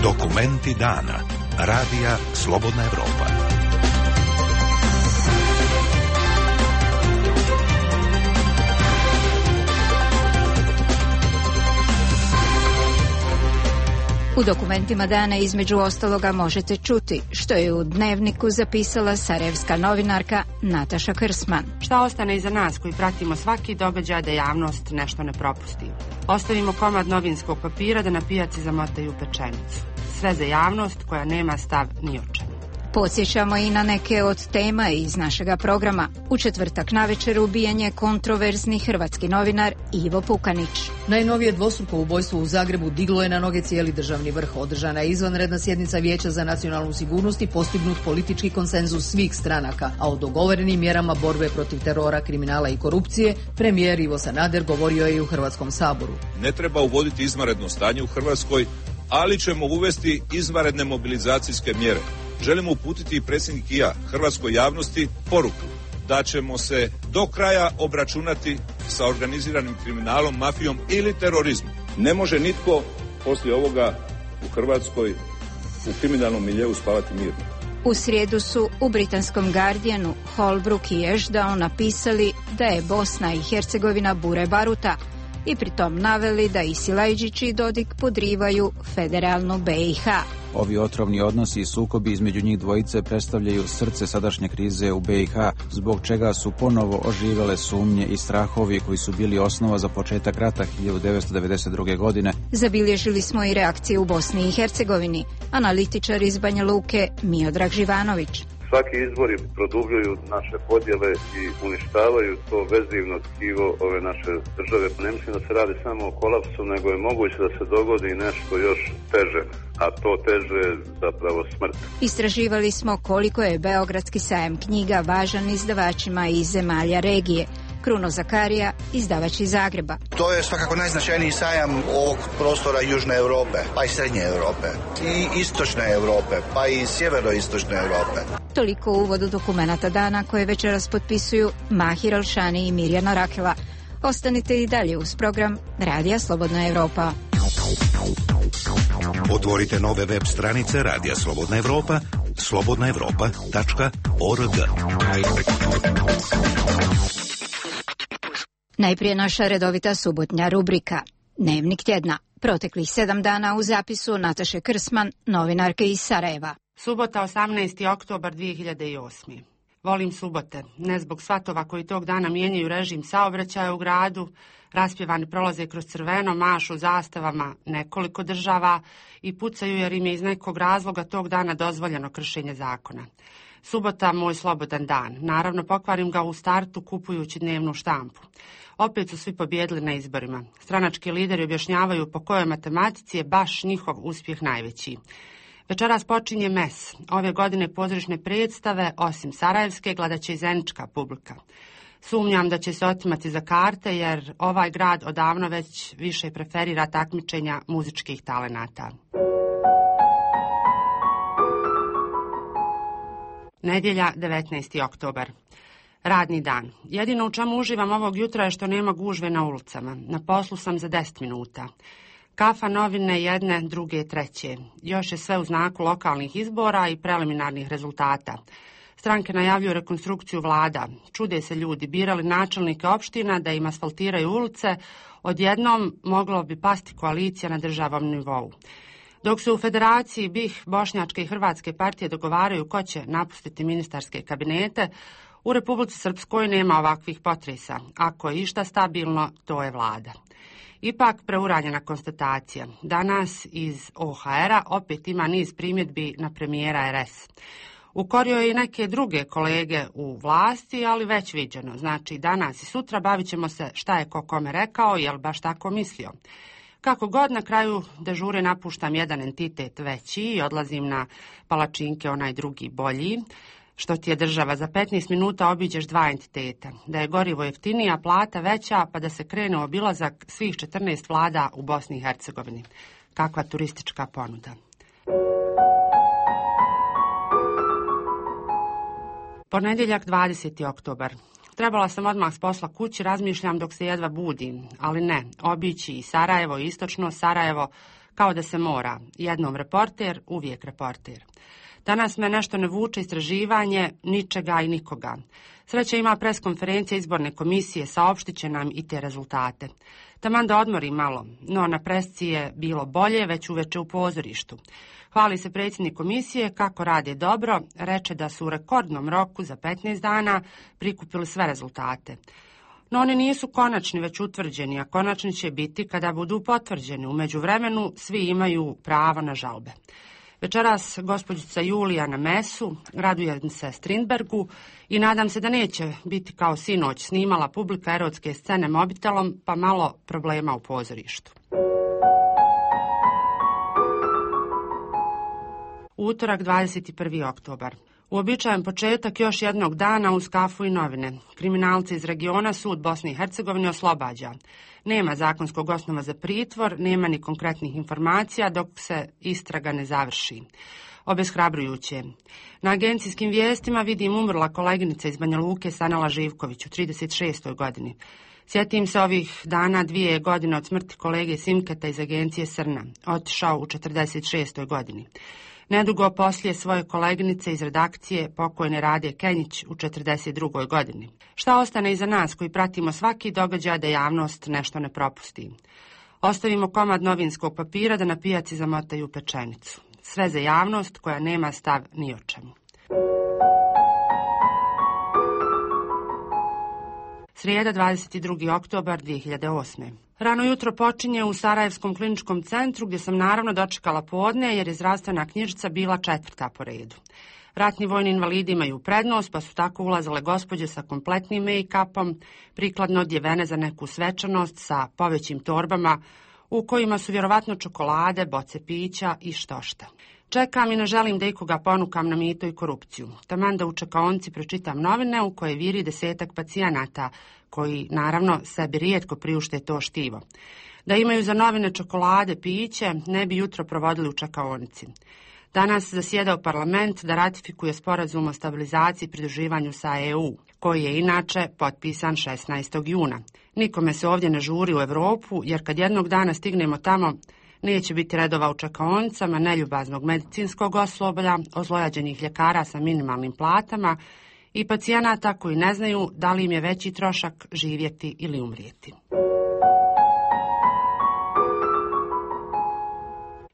Speaker 8: Dokumenti dana. Radija Slobodna Evropa.
Speaker 1: U dokumentima dana između ostaloga možete čuti što je u Dnevniku zapisala sarajevska novinarka Nataša Krsman.
Speaker 9: Šta ostane iza nas koji pratimo svaki događaj da javnost nešto ne propusti? Ostavimo komad novinskog papira da na pijaci zamotaju pečenicu. Sve za javnost koja nema stav ni o čemu.
Speaker 1: Podsjećamo i na neke od tema iz našega programa. U četvrtak navečer ubijen je kontroverzni hrvatski novinar Ivo Pukanić.
Speaker 10: Najnovije dvostruko ubojstvo u Zagrebu diglo je na noge cijeli državni vrh. Održana je izvanredna sjednica Vijeća za nacionalnu sigurnost i postignut politički konsenzus svih stranaka, a o dogovorenim mjerama borbe protiv terora, kriminala i korupcije premijer Ivo Sanader govorio je i u Hrvatskom saboru.
Speaker 11: Ne treba uvoditi izvanredno stanje u Hrvatskoj, ali ćemo uvesti izvanredne mobilizacijske mjere. Želimo uputiti i predsjednik i ja hrvatskoj javnosti poruku da ćemo se do kraja obračunati sa organiziranim kriminalom, mafijom ili terorizmom. Ne može nitko poslije ovoga u Hrvatskoj u kriminalnom miljeu spavati mirno.
Speaker 1: U srijedu su u britanskom Guardianu Holbrook i Ashdown napisali da je Bosna i Hercegovina bure baruta i pritom naveli da i Silajđić i Dodik podrivaju federalnu B i H.
Speaker 12: Ovi otrovni odnosi i sukobi između njih dvojice predstavljaju srce sadašnje krize u B i H, zbog čega su ponovo oživele sumnje i strahovi koji su bili osnova za početak rata hiljadu devetsto devedeset druge. godine.
Speaker 1: Zabilježili smo i reakcije u Bosni i Hercegovini. Analitičar iz Banja Luke Miodrag Živanović.
Speaker 14: Svaki izbori produbljuju naše podjele i uništavaju to vezivno tkivo ove naše države. Ne mislim da se radi samo o kolapsu, nego je moguće da se dogodi nešto još teže, a to teže je zapravo smrt.
Speaker 1: Istraživali smo koliko je Beogradski sajam knjiga važan izdavačima iz zemalja regije. Kruno Zakarija, izdavač iz Zagreba.
Speaker 15: To je svakako najznačajniji sajam ovog prostora Južne Europe, pa i Srednje Europe, i Istočne Europe, pa i Sjeveroistočne Europe.
Speaker 1: Toliko u uvodu dokumenata dana koje večeras potpisuju Mahir Alšani i Mirjana Rakela. Ostanite i dalje uz program Radija Slobodna Evropa.
Speaker 8: Otvorite nove web stranice Radija Slobodna Evropa, slobodna evropa tačka org.
Speaker 1: Najprije naša redovita subotnja rubrika Dnevnik tjedna. Proteklih sedam dana u zapisu Nataše Krsman, novinarke iz Sarajeva.
Speaker 9: Subota, osamnaesti oktobar dvije hiljade osme. Volim subote, ne zbog svatova koji tog dana mijenjaju režim saobraćaja u gradu, raspjevani prolaze kroz crveno, mašu zastavama nekoliko država i pucaju jer im je iz nekog razloga tog dana dozvoljeno kršenje zakona. Subota, moj slobodan dan. Naravno, pokvarim ga u startu kupujući dnevnu štampu. Opet su svi pobjedili na izborima. Stranački lideri objašnjavaju po kojoj matematici je baš njihov uspjeh najveći. Večeras počinje mes. Ove godine pozorišne predstave, osim sarajevske, gledat će i zenička publika. Sumnjam da će se otimati za karte, jer ovaj grad odavno već više preferira takmičenja muzičkih talenata. Nedjelja, devetnaesti oktobar. Radni dan. Jedino u čemu uživam ovog jutra je što nema gužve na ulicama. Na poslu sam za deset minuta. Kafa, novine, jedne, druge, treće. Još je sve u znaku lokalnih izbora i preliminarnih rezultata. Stranke najavljuju rekonstrukciju vlada. Čude se ljudi, birali načelnike opština da im asfaltiraju ulice. Odjednom moglo bi pasti koalicija na državnom nivou. Dok se u Federaciji B i H, Bošnjačke i Hrvatske partije dogovaraju ko će napustiti ministarske kabinete, u Republici Srpskoj nema ovakvih potresa. Ako je išta stabilno, to je vlada. Ipak preuranjena konstatacija. Danas iz O H R-a opet ima niz primjedbi na premijera R S. Ukorio je i neke druge kolege u vlasti, ali već viđeno. Znači, danas i sutra bavit ćemo se šta je ko kome rekao, jel baš tako mislio. Kako god, na kraju dežure napuštam jedan entitet veći i odlazim na palačinke, onaj drugi bolji. Što ti je država, za petnaest minuta obiđeš dva entiteta. Da je gorivo jeftinija, plata veća, pa da se krene u obilazak svih četrnaest vlada u Bosni i Hercegovini. Kakva turistička ponuda. Ponedjeljak, dvadeseti oktobar. trebala sam odmah s posla kući, razmišljam dok se jedva budim, ali ne, obići i Sarajevo, istočno Sarajevo, kao da se mora. Jednom reporter, uvijek reporter. Danas me nešto ne vuče istraživanje ničega i nikoga. Sreća ima preskonferencija izborne komisije, saopštit će nam i te rezultate. Taman da odmori malo, no na presci je bilo bolje, već uveče u pozorištu. Hvali se predsjednik komisije kako rade dobro, reče da su u rekordnom roku za petnaest dana prikupili sve rezultate. No oni nisu konačni, već utvrđeni, a konačni će biti kada budu potvrđeni. U međuvremenu svi imaju pravo na žalbe. Večeras gospođica Julija na mesu, radujem se Strindbergu i nadam se da neće biti kao sinoć snimala publika erotske scene mobitelom, pa malo problema u pozorištu. Utorak, dvadeset prvi oktobar. Uobičajen početak još jednog dana uz kafu i novine. Kriminalci iz regiona sud Bosne i Hercegovine oslobađa. Nema zakonskog osnova za pritvor, nema ni konkretnih informacija dok se istraga ne završi. Obeshrabrujuće. Na agencijskim vijestima vidim umrla koleginica iz Banja Luke Sanela Živković u trideset šestoj godini. Sjetim se ovih dana dvije godine od smrti kolege Simketa iz agencije Srna, otišao u četrdeset šestoj godini. Nedugo poslije svoje koleginice iz redakcije pokojne Rade Kenjić u četrdeset drugoj godini. Šta ostane iza nas koji pratimo svaki događaj da javnost nešto ne propusti? Ostavimo komad novinskog papira da na pijaci zamotaju pečenicu. Sve za javnost koja nema stav ni o čemu. Srijeda, dvadeset drugi oktobar dvije hiljade osme. Rano jutro počinje u Sarajevskom kliničkom centru gdje sam naravno dočekala podne jer je zdravstvena knjižica bila četvrta po redu. Ratni vojni invalidi imaju prednost pa su tako ulazile gospođe sa kompletnim make-upom, prikladno odjevene za neku svečanost sa povećim torbama u kojima su vjerovatno čokolade, boce pića i štošta. Čekam i ne želim da ikoga ponukam na mito i korupciju. Taman da u čekaonici pročitam novine u koje viri desetak pacijenata, koji naravno sebi rijetko priušte to štivo. Da imaju za novine čokolade, piće, ne bi jutro provodili u čekaonici. Danas zasjedao parlament da ratifikuje sporazum o stabilizaciji i pridruživanju sa E U, koji je inače potpisan šesnaestog juna. Nikome se ovdje ne žuri u Europu, jer kad jednog dana stignemo tamo, neće biti redova u čekaonicama, neljubaznog medicinskog osoblja, ozlojađenih ljekara sa minimalnim platama i pacijenata koji ne znaju da li im je veći trošak živjeti ili umrijeti.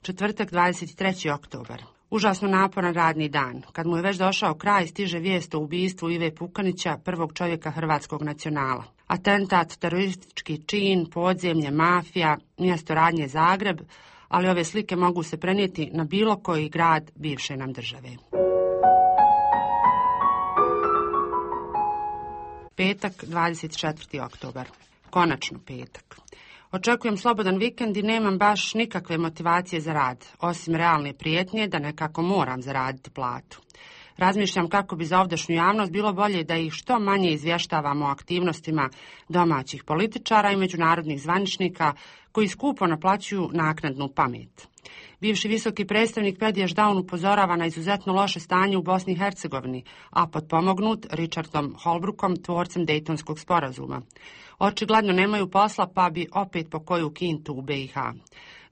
Speaker 9: Četvrtak, dvadeset treći oktobar. Užasno naporan radni dan. Kad mu je već došao kraj, stiže vijest o ubistvu Ive Pukanića, prvog čovjeka hrvatskog nacionala. Atentat, teroristički čin, podzemlje, mafija, mjesto radnje Zagreb, ali ove slike mogu se prenijeti na bilo koji grad bivše nam države. Petak, dvadeset četvrti oktobar. Konačno petak. Očekujem slobodan vikend i nemam baš nikakve motivacije za rad, osim realne prijetnje da nekako moram zaraditi platu. Razmišljam kako bi za ovdašnju javnost bilo bolje da ih što manje izvještavamo o aktivnostima domaćih političara i međunarodnih zvaničnika koji skupo naplaćuju naknadnu pamet. Bivši visoki predstavnik Pedijaš Daun upozorava na izuzetno loše stanje u Bosni i Hercegovini, a potpomognut Richardom Holbrookom, tvorcem Dejtonskog sporazuma. Očigledno nemaju posla pa bi opet po koju kintu u B i H.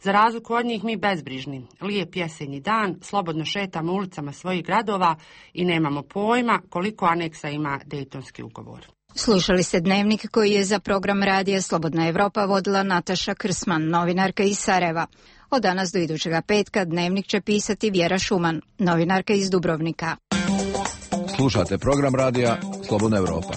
Speaker 9: Za razliku od njih mi bezbrižni, lijep jesenji dan, slobodno šetamo ulicama svojih gradova i nemamo pojma koliko aneksa ima Dejtonski ugovor.
Speaker 1: Slušali ste Dnevnik koji je za program radija Slobodna Evropa vodila Nataša Krsman, novinarka iz Sarajeva. Od danas do idućega petka Dnevnik će pisati Vjera Šuman, novinarka iz Dubrovnika.
Speaker 2: Slušate program radija Slobodna Evropa.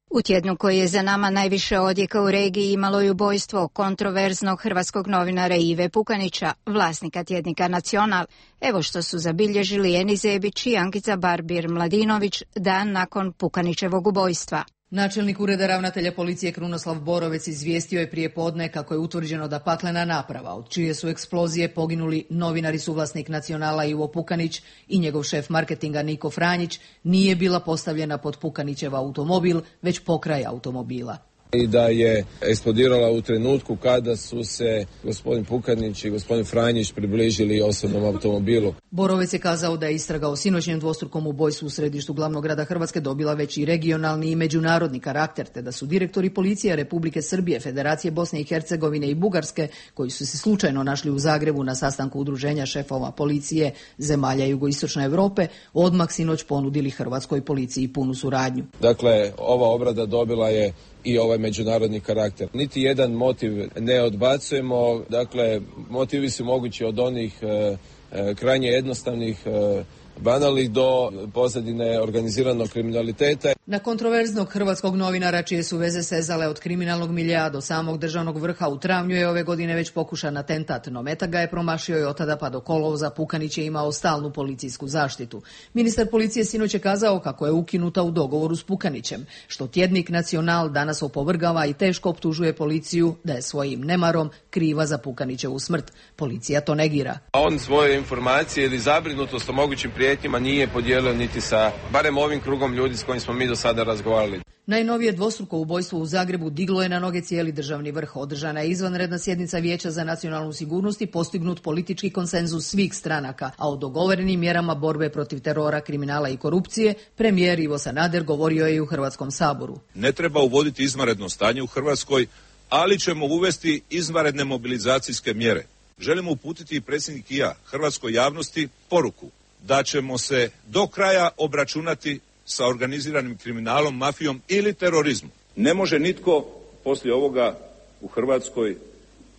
Speaker 1: U tjednu koji je za nama najviše odjeka u regiji imalo je ubojstvo kontroverznog hrvatskog novinara Ive Pukanića, vlasnika tjednika Nacional. Evo što su zabilježili Eni Zebić i Ankica Barbir Mladinović dan nakon Pukanićevog ubojstva.
Speaker 10: Načelnik ureda ravnatelja policije Krunoslav Borovec izvijestio je prije podne kako je utvrđeno da paklena naprava, od čije su eksplozije poginuli novinar i suvlasnik Nacionala Ivo Pukanić i njegov šef marketinga Niko Franjić, nije bila postavljena pod Pukanićev automobil, već pokraj automobila.
Speaker 13: i da je eksplodirala u trenutku kada su se gospodin Pukanić i gospodin Franjić približili osobnom automobilu.
Speaker 10: Borovec je kazao da je istraga o sinoćnjem dvostrukom ubojstvu u središtu glavnog grada Hrvatske dobila već i regionalni i međunarodni karakter, te da su direktori policije Republike Srbije, Federacije Bosne i Hercegovine i Bugarske, koji su se slučajno našli u Zagrebu na sastanku udruženja šefova policije zemalja jugoistočne Europe, odmah sinoć ponudili hrvatskoj policiji punu suradnju.
Speaker 13: Dakle, ova obrada dobila je i ovaj međunarodni karakter. Niti jedan motiv ne odbacujemo, dakle, motivi su mogući od onih e, e, krajnje jednostavnih, e, banalnih do pozadine organiziranog kriminaliteta.
Speaker 10: Na kontroverznog hrvatskog novinara čije su veze sezale od kriminalnog miljea do samog državnog vrha u travnju je ove godine već pokušan atentat, no meta ga je promašio i od tada pa do kolovoza Pukanić je imao stalnu policijsku zaštitu. Ministar policije sinoć je kazao kako je ukinuta u dogovoru s Pukanićem, što tjednik Nacional danas opovrgava i teško optužuje policiju da je svojim nemarom kriva za Pukanićevu smrt. Policija to negira.
Speaker 13: On svoje informacije ili zabrinutost o mogućim prijetnjima nije podijelio niti sa barem ovim krugom ljudi s kojim smo mi do sada razgovarali.
Speaker 10: Najnovije dvostruko ubojstvo u Zagrebu diglo je na noge cijeli državni vrh. Održana je izvanredna sjednica Vijeća za nacionalnu sigurnost i postignut politički konsenzus svih stranaka, a o dogovorenim mjerama borbe protiv terora, kriminala i korupcije premijer Ivo Sanader govorio je i u Hrvatskom saboru.
Speaker 11: Ne treba uvoditi izvanredno stanje u Hrvatskoj, ali ćemo uvesti izvanredne mobilizacijske mjere. Želimo uputiti predsjednik i ja hrvatskoj javnosti poruku da ćemo se do kraja obračunati sa organiziranim kriminalom, mafijom ili terorizmom. Ne može nitko poslije ovoga u Hrvatskoj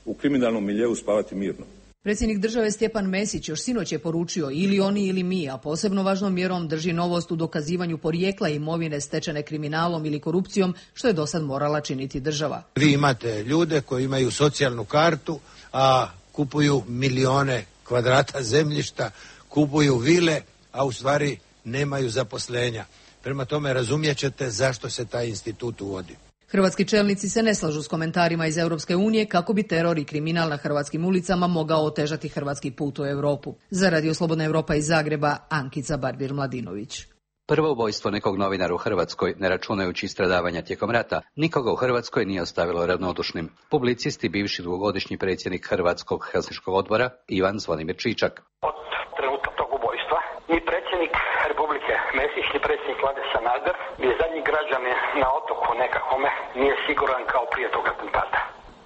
Speaker 11: u kriminalnom miljeu spavati mirno.
Speaker 10: Predsjednik države Stjepan Mesić još sinoć je poručio ili oni ili mi, a posebno važnom mjerom drži novost u dokazivanju porijekla imovine stečene kriminalom ili korupcijom, što je dosad morala činiti država.
Speaker 16: Vi imate ljude koji imaju socijalnu kartu, a kupuju milione kvadrata zemljišta, kupuju vile, a u stvari nemaju zaposlenja. Prema tome razumjet ćete zašto se taj institut uvodi.
Speaker 10: Hrvatski čelnici se ne slažu s komentarima iz Europske unije kako bi teror i kriminal na hrvatskim ulicama mogao otežati hrvatski put u Europu. Za Radio Slobodna Europa iz Zagreba, Ankica Barbir-Mladinović.
Speaker 17: Prvo ubojstvo nekog novinara u Hrvatskoj, ne računajući stradavanja tijekom rata, nikoga u Hrvatskoj nije ostavilo ravnodušnim. Publicist i bivši dugogodišnji predsjednik Hrvatskog Helsinškog odbora Ivan Zvonimir Čičak.
Speaker 18: Od trenutka tog ubojstva ni predsjednik Republike Mesić, ni predsjednik vlade Sanader, ni zadnji građanin na otoku nekakvome nije siguran kao prije tog atentata.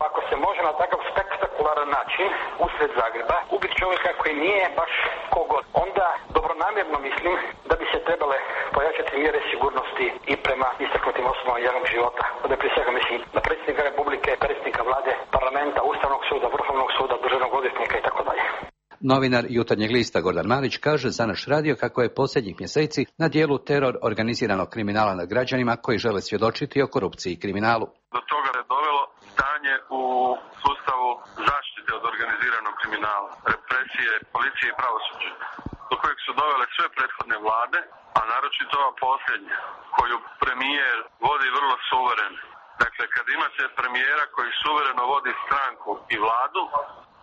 Speaker 18: Ako se može na takav spektakularan način usred Zagreba ubiti čovjeka koji nije baš kogod, onda dobronamjerno mislim da bi se trebale pojačati mjere sigurnosti i prema istaknutim osobama javnog života. Ovdje prije svega mislim na predsjednika Republike, predsjednika vlade, parlamenta, Ustavnog suda, Vrhovnog suda, državnog odvjetnika i tako dalje.
Speaker 17: Novinar Jutarnjeg lista Gordan Marić kaže za naš radio kako je posljednjih mjeseci na dijelu teror organiziranog kriminala nad građanima koji žele svjedočiti o korupciji i kriminalu.
Speaker 19: Do toga je dovelo stanje u sustavu zaštite od organiziranog kriminala, represije, policije i pravosuđa, do kojeg su dovele sve prethodne vlade, a naročito ova posljednja, koju premijer vodi vrlo suvereno. Dakle, kad imate premijera koji suvereno vodi stranku i vladu,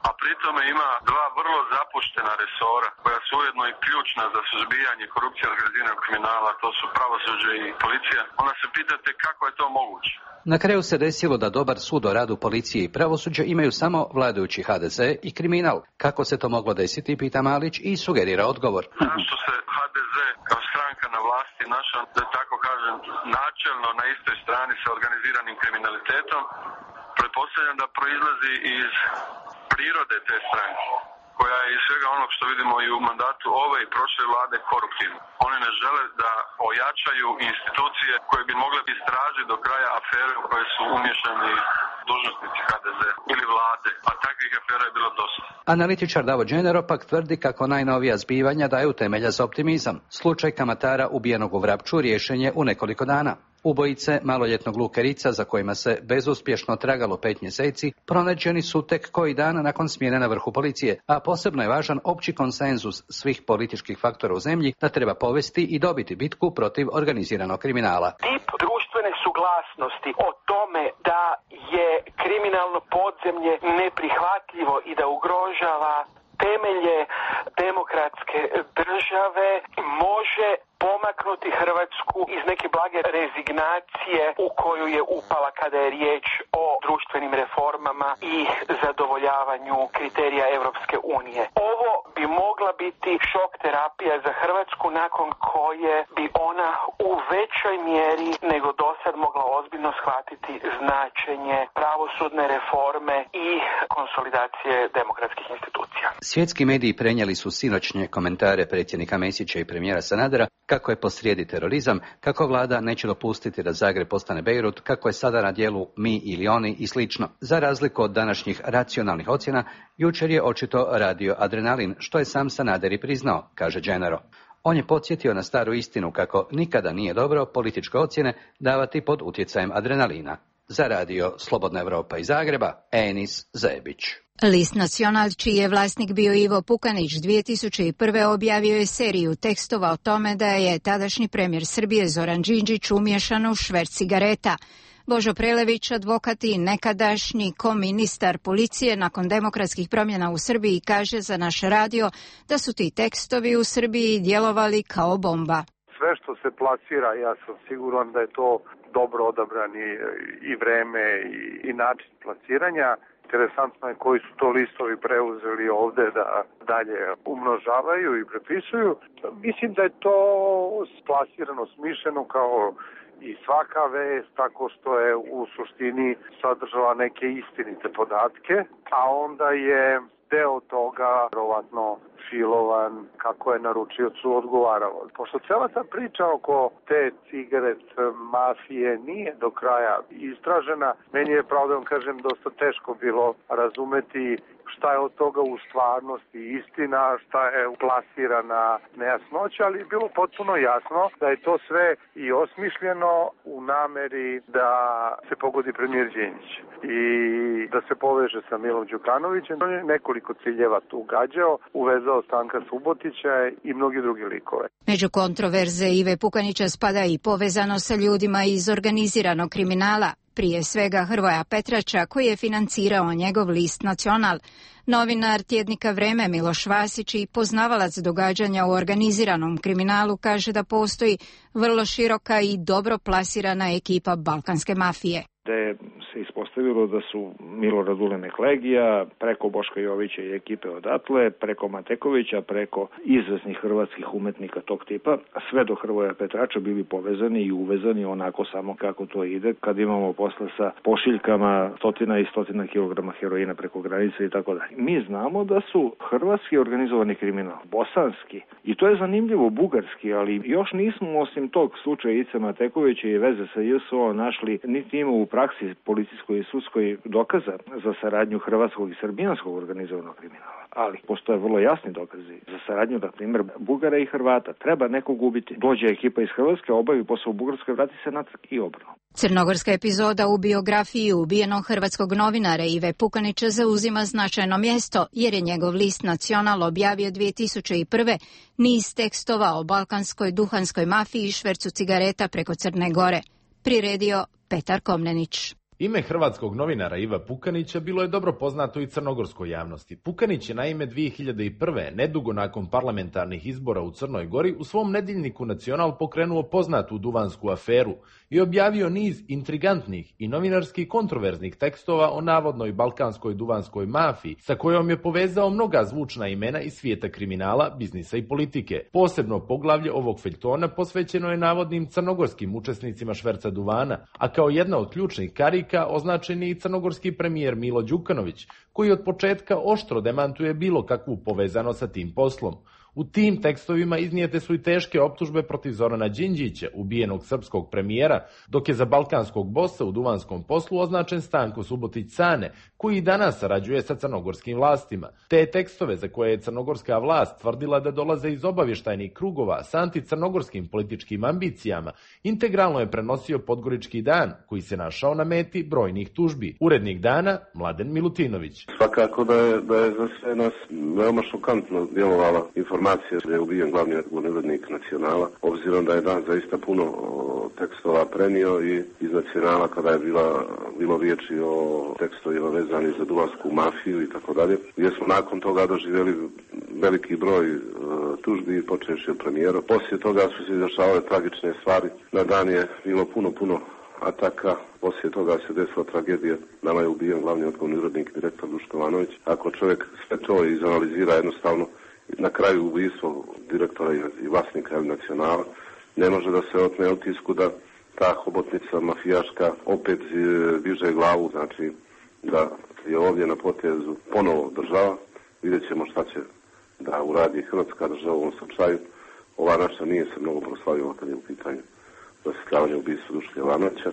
Speaker 19: a pritome ima dva vrlo zapuštena resora koja su ujedno i ključna za suzbijanje korupcije i organiziranog kriminala, to su pravosuđe i policija, onda se pitate kako je to moguće.
Speaker 17: Na kraju se desilo da dobar sud o radu policije i pravosuđa imaju samo vladajući H D Z i kriminal. Kako se to moglo desiti, pita Malić i sugerira odgovor.
Speaker 19: Zašto se H D Z kao stranka na vlasti našla, da tako kažem, načelno na istoj strani sa organiziranim kriminalitetom, pretpostavljam da proizlazi iz prirode te stranke, koja je iz svega onog što vidimo i u mandatu ove i prošle vlade koruptivna. Oni ne žele da ojačaju institucije koje bi mogle istražiti do kraja afere u koje su umješani dužnosnici H D Z ili vlade, a takvih afera je bilo dosta.
Speaker 17: Analitičar Davo Đenero pak tvrdi kako najnovija zbivanja daju temelja za optimizam. Slučaj kamatara ubijenog u Vrapču riješen je u nekoliko dana. Ubojice maloljetnog Luke Rica, za kojima se bezuspješno tragalo pet mjeseci, pronađeni su tek koji dan nakon smjene na vrhu policije, a posebno je važan opći konsenzus svih političkih faktora u zemlji da treba povesti i dobiti bitku protiv organiziranog kriminala.
Speaker 20: Tip društvene suglasnosti o tome da je kriminalno podzemlje neprihvatljivo i da ugrožava temelje demokratske države može pomak izmaknuti Hrvatsku iz neke blage rezignacije u koju je upala kada je riječ o društvenim reformama i zadovoljavanju kriterija Europske unije. Ovo bi mogla biti šok terapija za Hrvatsku nakon koje bi ona u većoj mjeri nego dosad mogla ozbiljno shvatiti značenje pravosudne reforme i konsolidacije demokratskih institucija.
Speaker 17: Svjetski mediji prenijeli su sinoćnje komentare predsjednika Mesića i premijera Sanadera kako je posrijedi terorizam, kako vlada neće dopustiti da Zagreb postane Bejrut, kako je sada na djelu mi ili oni i slično. Za razliku od današnjih racionalnih ocjena, jučer je očito radio adrenalin, što je sam Sanader i priznao, kaže Gennaro. On je podsjetio na staru istinu kako nikada nije dobro političke ocjene davati pod utjecajem adrenalina. Za radio Slobodna Evropa iz Zagreba, Enis Zebić.
Speaker 1: List Nacional, čiji je vlasnik bio Ivo Pukanić, dvije tisuće prve. objavio je seriju tekstova o tome da je tadašnji premijer Srbije Zoran Đinđić umiješan u šverc cigareta. Božo Prelević, advokat i nekadašnji koministar policije nakon demokratskih promjena u Srbiji, kaže za naš radio da su ti tekstovi u Srbiji djelovali kao bomba.
Speaker 4: Sve što se plasira, ja sam siguran da je to dobro odabrani i vreme i, i način plasiranja. Interesantno je koji su to listovi preuzeli ovde da dalje umnožavaju i prepisuju. Mislim da je to plasirano, smišljeno kao i svaka vest, tako što je u suštini sadržala neke istinite podatke, a onda je deo toga verovatno filovan kako je naručiocu odgovaralo. Pošto cela ta priča oko te cigaret mafije nije do kraja istražena, meni je, pravo da vam kažem, dosta teško bilo razumeti šta je od toga u stvarnosti istina, šta je plasirana nejasnoća, ali je bilo potpuno jasno da je to sve i osmišljeno u nameri da se pogodi premijer Đinđić i da se poveže sa Milom Đukanovićem. On je nekoliko ciljeva tu gađao, uvezao Stanka Subotića i mnogi drugi likove.
Speaker 1: Među kontroverze Ive Pukanića spada i povezano sa ljudima iz organiziranog kriminala, prije svega Hrvoja Petrača, koji je financirao njegov list Nacional. Novinar tjednika Vreme Miloš Vasić i poznavalac događanja u organiziranom kriminalu kaže da postoji vrlo široka i dobro plasirana ekipa balkanske mafije.
Speaker 5: Da je se ispostavilo da su Milorad Ulemek Legija, preko Boška Jovića i ekipe odatle, preko Matekovića, preko izvesnih hrvatskih umetnika tog tipa, sve do Hrvoja Petrača bili povezani i uvezani onako samo kako to ide, kad imamo posle sa pošiljkama stotina i stotina kilograma heroina preko granice i tako dalje. Mi znamo da su hrvatski organizovani kriminal, bosanski, i to je zanimljivo, bugarski, ali još nismo osim tog slučaja Ice Matekovića i veze sa J S O nnašli niti ima u praksi policijskoj i sudskoj dokaza za saradnju hrvatskog i srbijanskog organizovanog kriminala. Ali postoje vrlo jasni dokazi za saradnju, na primjer, Bugara i Hrvata. Treba nekog ubiti. Dođe ekipa iz Hrvatske, obavi posao u Bugarskoj, vrati se natrag i obrnuto.
Speaker 1: Crnogorska epizoda u biografiji ubijenog hrvatskog novinara Ive Pukanića zauzima značajno mjesto, jer je njegov list Nacional objavio dvije tisuće prve. niz tekstova o balkanskoj duhanskoj mafiji i švercu cigareta preko Crne Gore. Priredio Petar Komnenić.
Speaker 6: Ime hrvatskog novinara Iva Pukanića bilo je dobro poznato i crnogorskoj javnosti. Pukanić je naime dvije hiljade prve. nedugo nakon parlamentarnih izbora u Crnoj Gori, u svom nedjeljniku Nacional pokrenuo poznatu duvansku aferu i objavio niz intrigantnih i novinarski kontroverznih tekstova o navodnoj balkanskoj duvanskoj mafiji, sa kojom je povezao mnoga zvučna imena iz svijeta kriminala, biznisa i politike. Posebno poglavlje ovog feljtona posvećeno je navodnim crnogorskim učesnicima šverca duvana, a kao jedna od ključnih karika označen je i crnogorski premijer Milo Đukanović, koji od početka oštro demantuje bilo kakvu povezano sa tim poslom. U tim tekstovima iznijete su i teške optužbe protiv Zorana Đinđića, ubijenog srpskog premijera, dok je za balkanskog bossa u duvanskom poslu označen Stanko Subotić Cane, koji i danas sarađuje sa crnogorskim vlastima. Te tekstove, za koje je crnogorska vlast tvrdila da dolaze iz obavještajnih krugova s anticrnogorskim političkim ambicijama, integralno je prenosio Podgorički dan, koji se našao na meti brojnih tužbi. Urednik dana, Mladen Milutinović.
Speaker 14: Svakako da je, da je za sve nas veoma šokantno djelovala informacija da je ubijen glavni urednik Nacionala, obzirom da je dan zaista puno tekstova prenio i iz Nacionala kada je bila, bilo riječi o tekstovima vezani za duvansku mafiju i tako dalje, gdje smo nakon toga doživjeli
Speaker 21: veliki broj e, tužbi, počevši od premijera. Poslije toga su se izrašavale tragične stvari. Na dan je bilo puno, puno ataka. Poslije toga se desila tragedija. Nama je ubijen glavni odgovorni urednik, direktor Duško Ivanović. Ako čovjek sve to izanalizira jednostavno, na kraju ubistvo direktora i vlasnika Nacionala, ne može da se otme utisku da ta hobotnica mafijaška opet diže glavu, znači da je ovdje na potezu ponovo država. Vidjet ćemo šta će da uradi Hrvatska država u ovom slučaju. Ova naša nije se mnogo proslavila kad je u pitanju rasvjetljavanje ubistva Duška Ivanovića,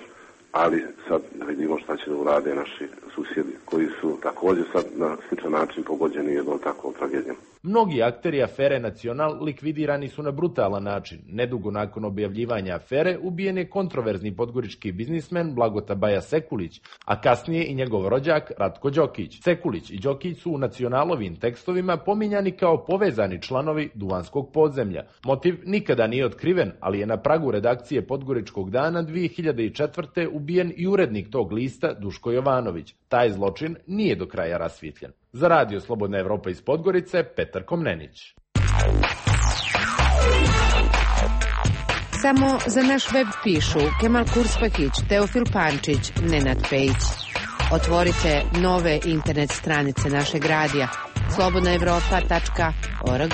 Speaker 21: ali sad da vidimo šta će da urade naši susjedi koji su također sad na sličan način pogođeni jednom takvom tragedijom.
Speaker 6: Mnogi akteri afere Nacional likvidirani su na brutalan način. Nedugo nakon objavljivanja afere ubijen je kontroverzni podgorički biznismen Blagota Baja Sekulić, a kasnije i njegov rođak Ratko Đokić. Sekulić i Đokić su u Nacionalovim tekstovima pominjani kao povezani članovi Duvanskog podzemlja. Motiv nikada nije otkriven, ali je na pragu redakcije Podgoričkog dana dvije hiljade četvrte ubijen i urednik tog lista Duško Jovanović. Taj zločin nije do kraja rasvijetljen. Za Radio Slobodna Evropa iz Podgorice, Petar Komnenić.
Speaker 22: Samo za naš web pišu Kemal Kurspakić, Teofil Pančić, Nenad Pejić. Otvorite nove internet stranice našeg radija slobodna evropa tačka org.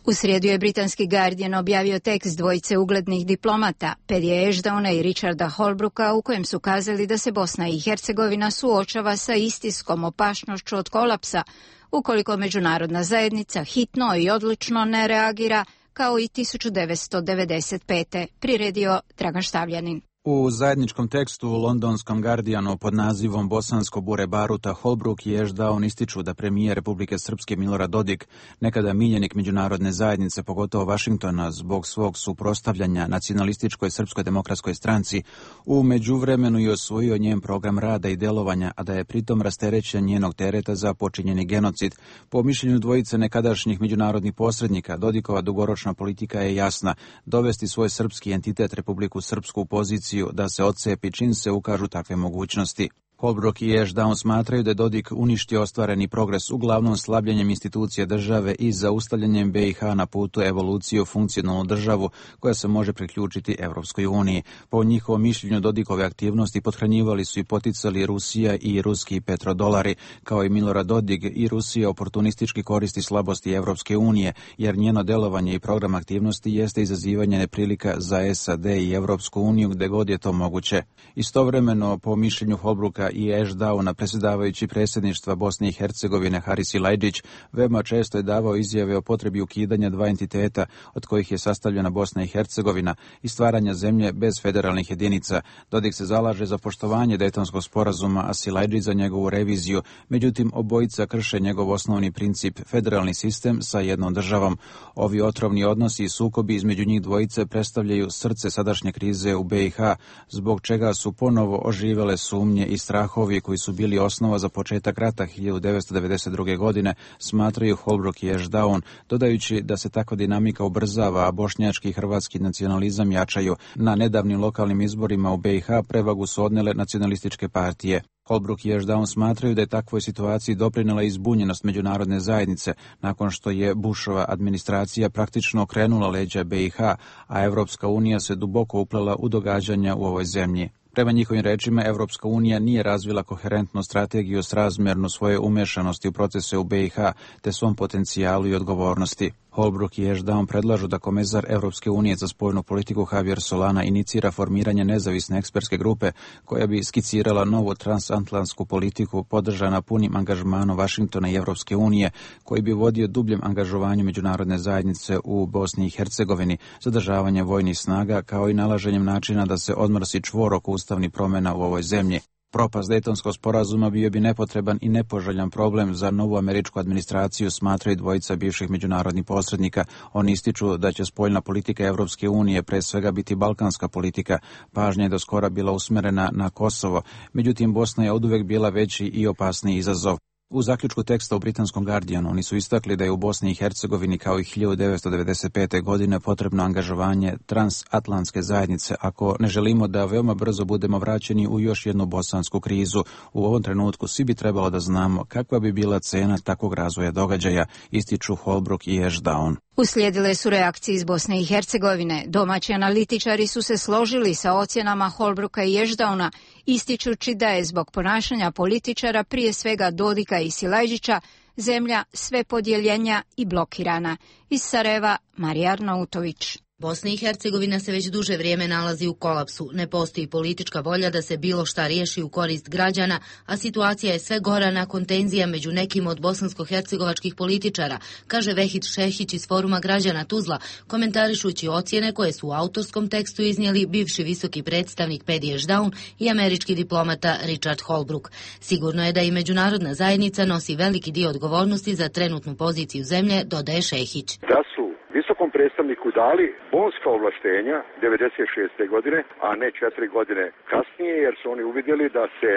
Speaker 1: U srijedu je britanski Guardian objavio tekst dvojice uglednih diplomata, Perrya Ashdowna i Richarda Holbrooka, u kojem su kazali da se Bosna i Hercegovina suočava sa istinskom opasnošću od kolapsa, ukoliko međunarodna zajednica hitno i odlučno ne reagira, kao i tisuću devetsto devedeset pete. priredio Dragan Štavljanin.
Speaker 12: U zajedničkom tekstu u londonskom Guardianu pod nazivom Bosansko bure baruta Holbrook i Ashdown ističu da premijer Republike Srpske Milorad Dodik, nekada miljenik međunarodne zajednice, pogotovo Vašingtona, zbog svog suprotstavljanja nacionalističkoj Srpskoj demokratskoj stranci, u međuvremenu je osvojio njen program rada i delovanja, a da je pritom rasterećen njenog tereta za počinjeni genocid. Po mišljenju dvojice nekadašnjih međunarodnih posrednika, Dodikova dugoročna politika je jasna: dovesti svoj srpski entitet Republiku Srpsku u poziciju da se odcepi čim se ukažu takve mogućnosti. Holbrook i Ashdown smatraju da je Dodik uništio ostvareni progres uglavnom slabljenjem institucija države i zaustavljanjem B i H na putu evolucije u funkcionalnu državu koja se može priključiti Evropskoj uniji. Po njihovom mišljenju Dodikove aktivnosti pothranjivali su i poticali Rusija i ruski petrodolari, kao i Milorad Dodik i Rusija oportunistički koristi slabosti Evropske unije, jer njeno delovanje i program aktivnosti jeste izazivanje neprilika za S A D i Evropsku uniju gde god je to moguće. Istovremeno, po mišljenju Holbrooka i Ashdowna, predsjedavajući predsjedništva Bosne i Hercegovine Haris Silajdžić veoma često je davao izjave o potrebi ukidanja dva entiteta od kojih je sastavljena Bosna i Hercegovina i stvaranja zemlje bez federalnih jedinica. Dodik se zalaže za poštovanje Dejtonskog sporazuma, a Silajdžić za njegovu reviziju. Međutim, obojica krše njegov osnovni princip, federalni sistem sa jednom državom. Ovi otrovni odnosi i sukobi između njih dvojice predstavljaju srce sadašnje krize u B i H, zbog čega su ponovo oživele sumnje i strahovi koji su bili osnova za početak rata hiljadu devetsto devedeset druge. godine, smatraju Holbrook i Ashdown, dodajući da se takva dinamika ubrzava, a bošnjački i hrvatski nacionalizam jačaju. Na nedavnim lokalnim izborima u B i H prevagu su odnele nacionalističke partije. Holbrook i Ashdown smatraju da je takvoj situaciji doprinela izbunjenost međunarodne zajednice nakon što je Bushova administracija praktično okrenula leđa B i H, a Evropska unija se duboko uplela u događanja u ovoj zemlji. Prema njihovim rečima, Evropska unija nije razvila koherentnu strategiju srazmjernu svoje umešanosti u procese u B i H te svom potencijalu i odgovornosti. Holbrook i Ashdown predlažu da komesar Evropske unije za spoljnu politiku Javier Solana inicira formiranje nezavisne ekspertske grupe koja bi skicirala novu transatlantsku politiku podržana punim angažmanom Vašingtona i Evropske unije, koji bi vodio dubljem angažovanju međunarodne zajednice u Bosni i Hercegovini, zadržavanje vojnih snaga kao i nalaženjem načina da se odmrsi čvor oko ustavnih promjena u ovoj zemlji. Propast Dejtonskog sporazuma bio bi nepotreban i nepoželjan problem za novu američku administraciju, smatraju dvojica bivših međunarodnih posrednika. Oni ističu da će spoljna politika Evropske unije pre svega biti balkanska politika. Pažnja je do skora bila usmerena na Kosovo, međutim Bosna je oduvek bila veći i opasniji izazov. U zaključku teksta u britanskom Guardianu oni su istakli da je u Bosni i Hercegovini kao i hiljadu devetsto devedeset pete. godine potrebno angažovanje transatlantske zajednice ako ne želimo da veoma brzo budemo vraćeni u još jednu bosansku krizu. U ovom trenutku svi bi trebalo da znamo kakva bi bila cena takvog razvoja događaja, ističu Holbrooke i Ashdown.
Speaker 1: Uslijedile su reakcije iz Bosne i Hercegovine. Domaći analitičari su se složili sa ocjenama Holbrooka i Ashdowna, ističući da je zbog ponašanja političara, prije svega Dodika i Silajđića, zemlja sve podjeljenja i blokirana. Iz Sarajeva, Marija Arnautović.
Speaker 3: Bosna i Hercegovina se već duže vrijeme nalazi u kolapsu. Ne postoji politička volja da se bilo šta riješi u korist građana, a situacija je sve gora nakon tenzija među nekim od bosansko-hercegovačkih političara, kaže Vehid Šehić iz Foruma građana Tuzla, komentarišući ocjene koje su u autorskom tekstu iznijeli bivši visoki predstavnik Paddy Ashdown i američki diplomata Richard Holbrooke. Sigurno je da i međunarodna zajednica nosi veliki dio odgovornosti za trenutnu poziciju zemlje, dodaje Šehić.
Speaker 7: Da su visokom predstavniku dali bonska ovlaštenja devedeset šeste. godine, a ne četiri godine kasnije, jer su oni uvidjeli da se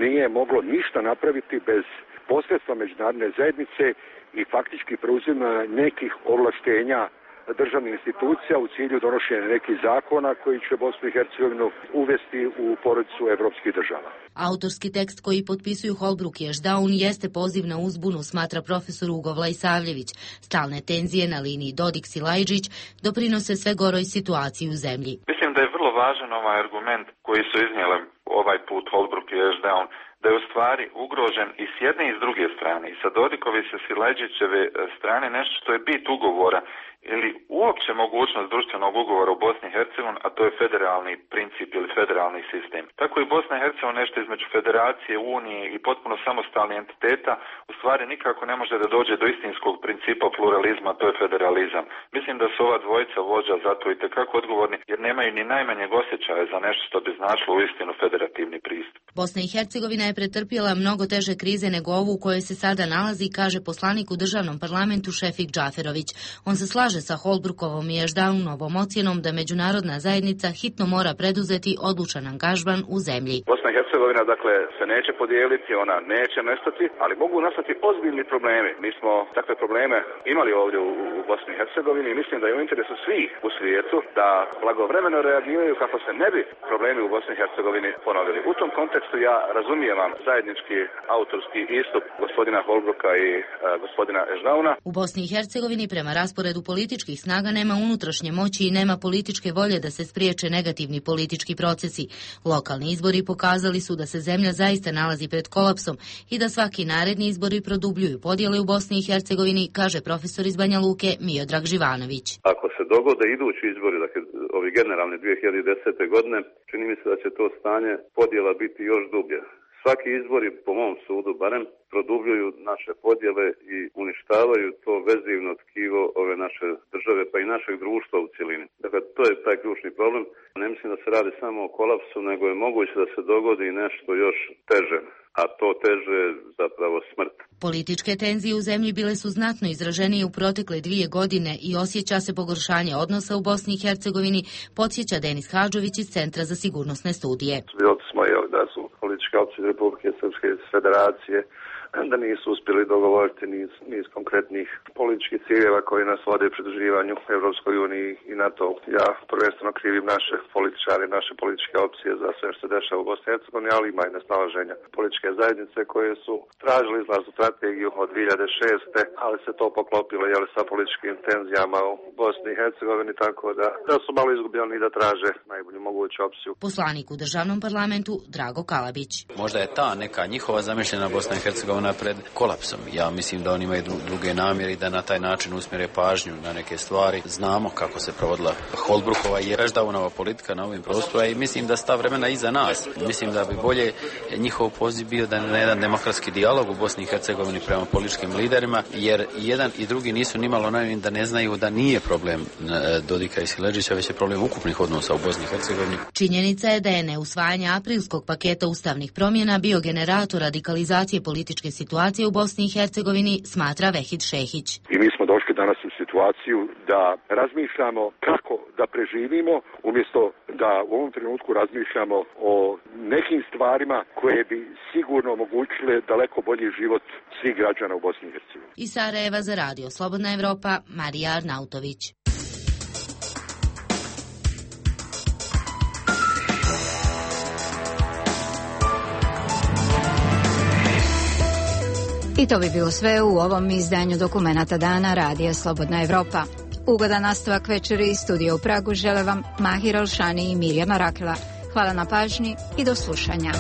Speaker 7: nije moglo ništa napraviti bez posredstva međunarodne zajednice i faktički preuzima nekih ovlaštenja državnih institucija u cilju donošenja nekih zakona koji će Bosnu i Hercegovinu uvesti u porodicu evropskih država.
Speaker 3: Autorski tekst koji potpisuju Holbrooke i Ashdown jeste poziv na uzbunu, smatra profesor Ugo Vlajsavljević. Stalne tenzije na liniji Dodik-Silajđić doprinose sve goroj situaciji u zemlji.
Speaker 23: Mislim da je vrlo važan ovaj argument koji su iznijeli ovaj put Holbrooke i Ashdown, da je u stvari ugrožen i s jedne i s druge strane, i sa Dodikove i sa Silajđićeve strane nešto što je bit ugovora ili uopće mogućnost društvenog ugovora u Bosni i Hercegovini, a to je federalni princip ili federalni sistem. Tako i Bosna i Hercegovina nešto između federacije, unije i potpuno samostalnih entiteta u stvari nikako ne može da dođe do istinskog principa pluralizma, to je federalizam. Mislim da su ova dvojica vođa zato i tekako odgovorni jer nemaju ni najmanjeg osjećaja za nešto što bi značilo uistinu federativni pristup.
Speaker 3: Bosna i Hercegovina je pretrpjela mnogo teže krize nego ovu u kojoj se sada nalazi, kaže poslanik u državnom parlamentu Šefik Džaferović. On se slaže sa Holbrookovom i Ashdownovom ocjenom da međunarodna zajednica hitno mora preduzeti odlučan angažman u zemlji.
Speaker 7: Bosna i Hercegovina dakle se neće podijeliti, ona neće nestati, ali mogu nastati ozbiljni problemi. Mi smo takve probleme imali ovdje u, u Bosni i Hercegovini i mislim da je u interesu svih u svijetu da blagovremeno reagiraju kako se ne bi problemi u Bosni i Hercegovini ponovili. U tom kontekstu ja razumijem vam zajednički autorski istup gospodina Holbrooka i uh, gospodina Ashdowna.
Speaker 3: U Bosni i Hercegovini prema rasporedu političkih snaga nema unutrašnje moći i nema političke volje da se spriječe negativni politički procesi. Lokalni izbori pokazali su da se zemlja zaista nalazi pred kolapsom i da svaki naredni izbori produbljuju podjele u Bosni i Hercegovini, kaže profesor iz Banja Luke Miodrag Živanović.
Speaker 14: Ako se dogode idući izbori, dakle ovi generalni dvije hiljade desete. godine, čini mi se da će to stanje podjela biti još dublje. Svaki izbori, po mom sudu barem, produbljuju naše podjele i uništavaju to vezivno tkivo ove naše države pa i našeg društva u cjelini. Dakle, to je taj ključni problem. Ne mislim da se radi samo o kolapsu, nego je moguće da se dogodi nešto još teže, a to teže je zapravo smrt.
Speaker 3: Političke tenzije u zemlji bile su znatno izraženije u protekle dvije godine i osjeća se pogoršanje odnosa u Bosni i Hercegovini, podsjeća Denis Hadžović iz Centra za sigurnosne studije.
Speaker 21: Svjedoci smo da su političke opcije Republike Srpske Federacije da nisu uspjeli dogovoriti niz, niz konkretnih političkih ciljeva koji nas vode u pridruživanju Evropskoj uniji i NATO. Ja prvenstveno krivim naše političare, naše političke opcije za sve što se dešava u Bosni i Hercegovini, ali ima i nesnalaženja političke zajednice koje su tražili izlaznu strategiju od dvije hiljade šeste. ali se to poklopilo jel, sa političkim tenzijama u Bosni i Hercegovini, tako da, da su malo izgubljeni i da traže najbolju moguću opciju.
Speaker 3: Poslanik u državnom parlamentu Drago Kalabić.
Speaker 24: Možda je ta neka njihova zamišljena Bosna i Hercegovina pred kolapsom. Ja mislim da oni imaju druge namjere i da na taj način usmjere pažnju na neke stvari. Znamo kako se provodila Holbrookova i Ashdownova politika na ovim prostorima i mislim da sta vremena iza nas. Mislim da bi bolje njihov poziv bio da na jedan demokratski dijalog u Bosni i Hercegovini prema političkim liderima, jer jedan i drugi nisu nimalo naivni da ne znaju da nije problem Dodika i Silajđića, već je problem ukupnih odnosa u Bosni i Hercegovini.
Speaker 3: Činjenica je da je neusvajanje aprilskog bosanskog paketa ustavnih promjena bio generator radikalizacije političke situacije u Bosni i Hercegovini, smatra Vehid Šehić.
Speaker 7: I mi smo došli danas u situaciju da razmišljamo kako da preživimo, umjesto da u ovom trenutku razmišljamo o nekim stvarima koje bi sigurno omogućile daleko bolji život svih građana u Bosni i Hercegovini.
Speaker 3: Iz Sarajeva za radio Slobodna Evropa, Marija Arnautović.
Speaker 1: I to bi bilo sve u ovom izdanju Dokumenata dana Radija Slobodna Evropa. Ugodan nastavak večeri iz studija u Pragu žele vam Mahir Alšani i Mirjama Rakela. Hvala na pažnji i do slušanja.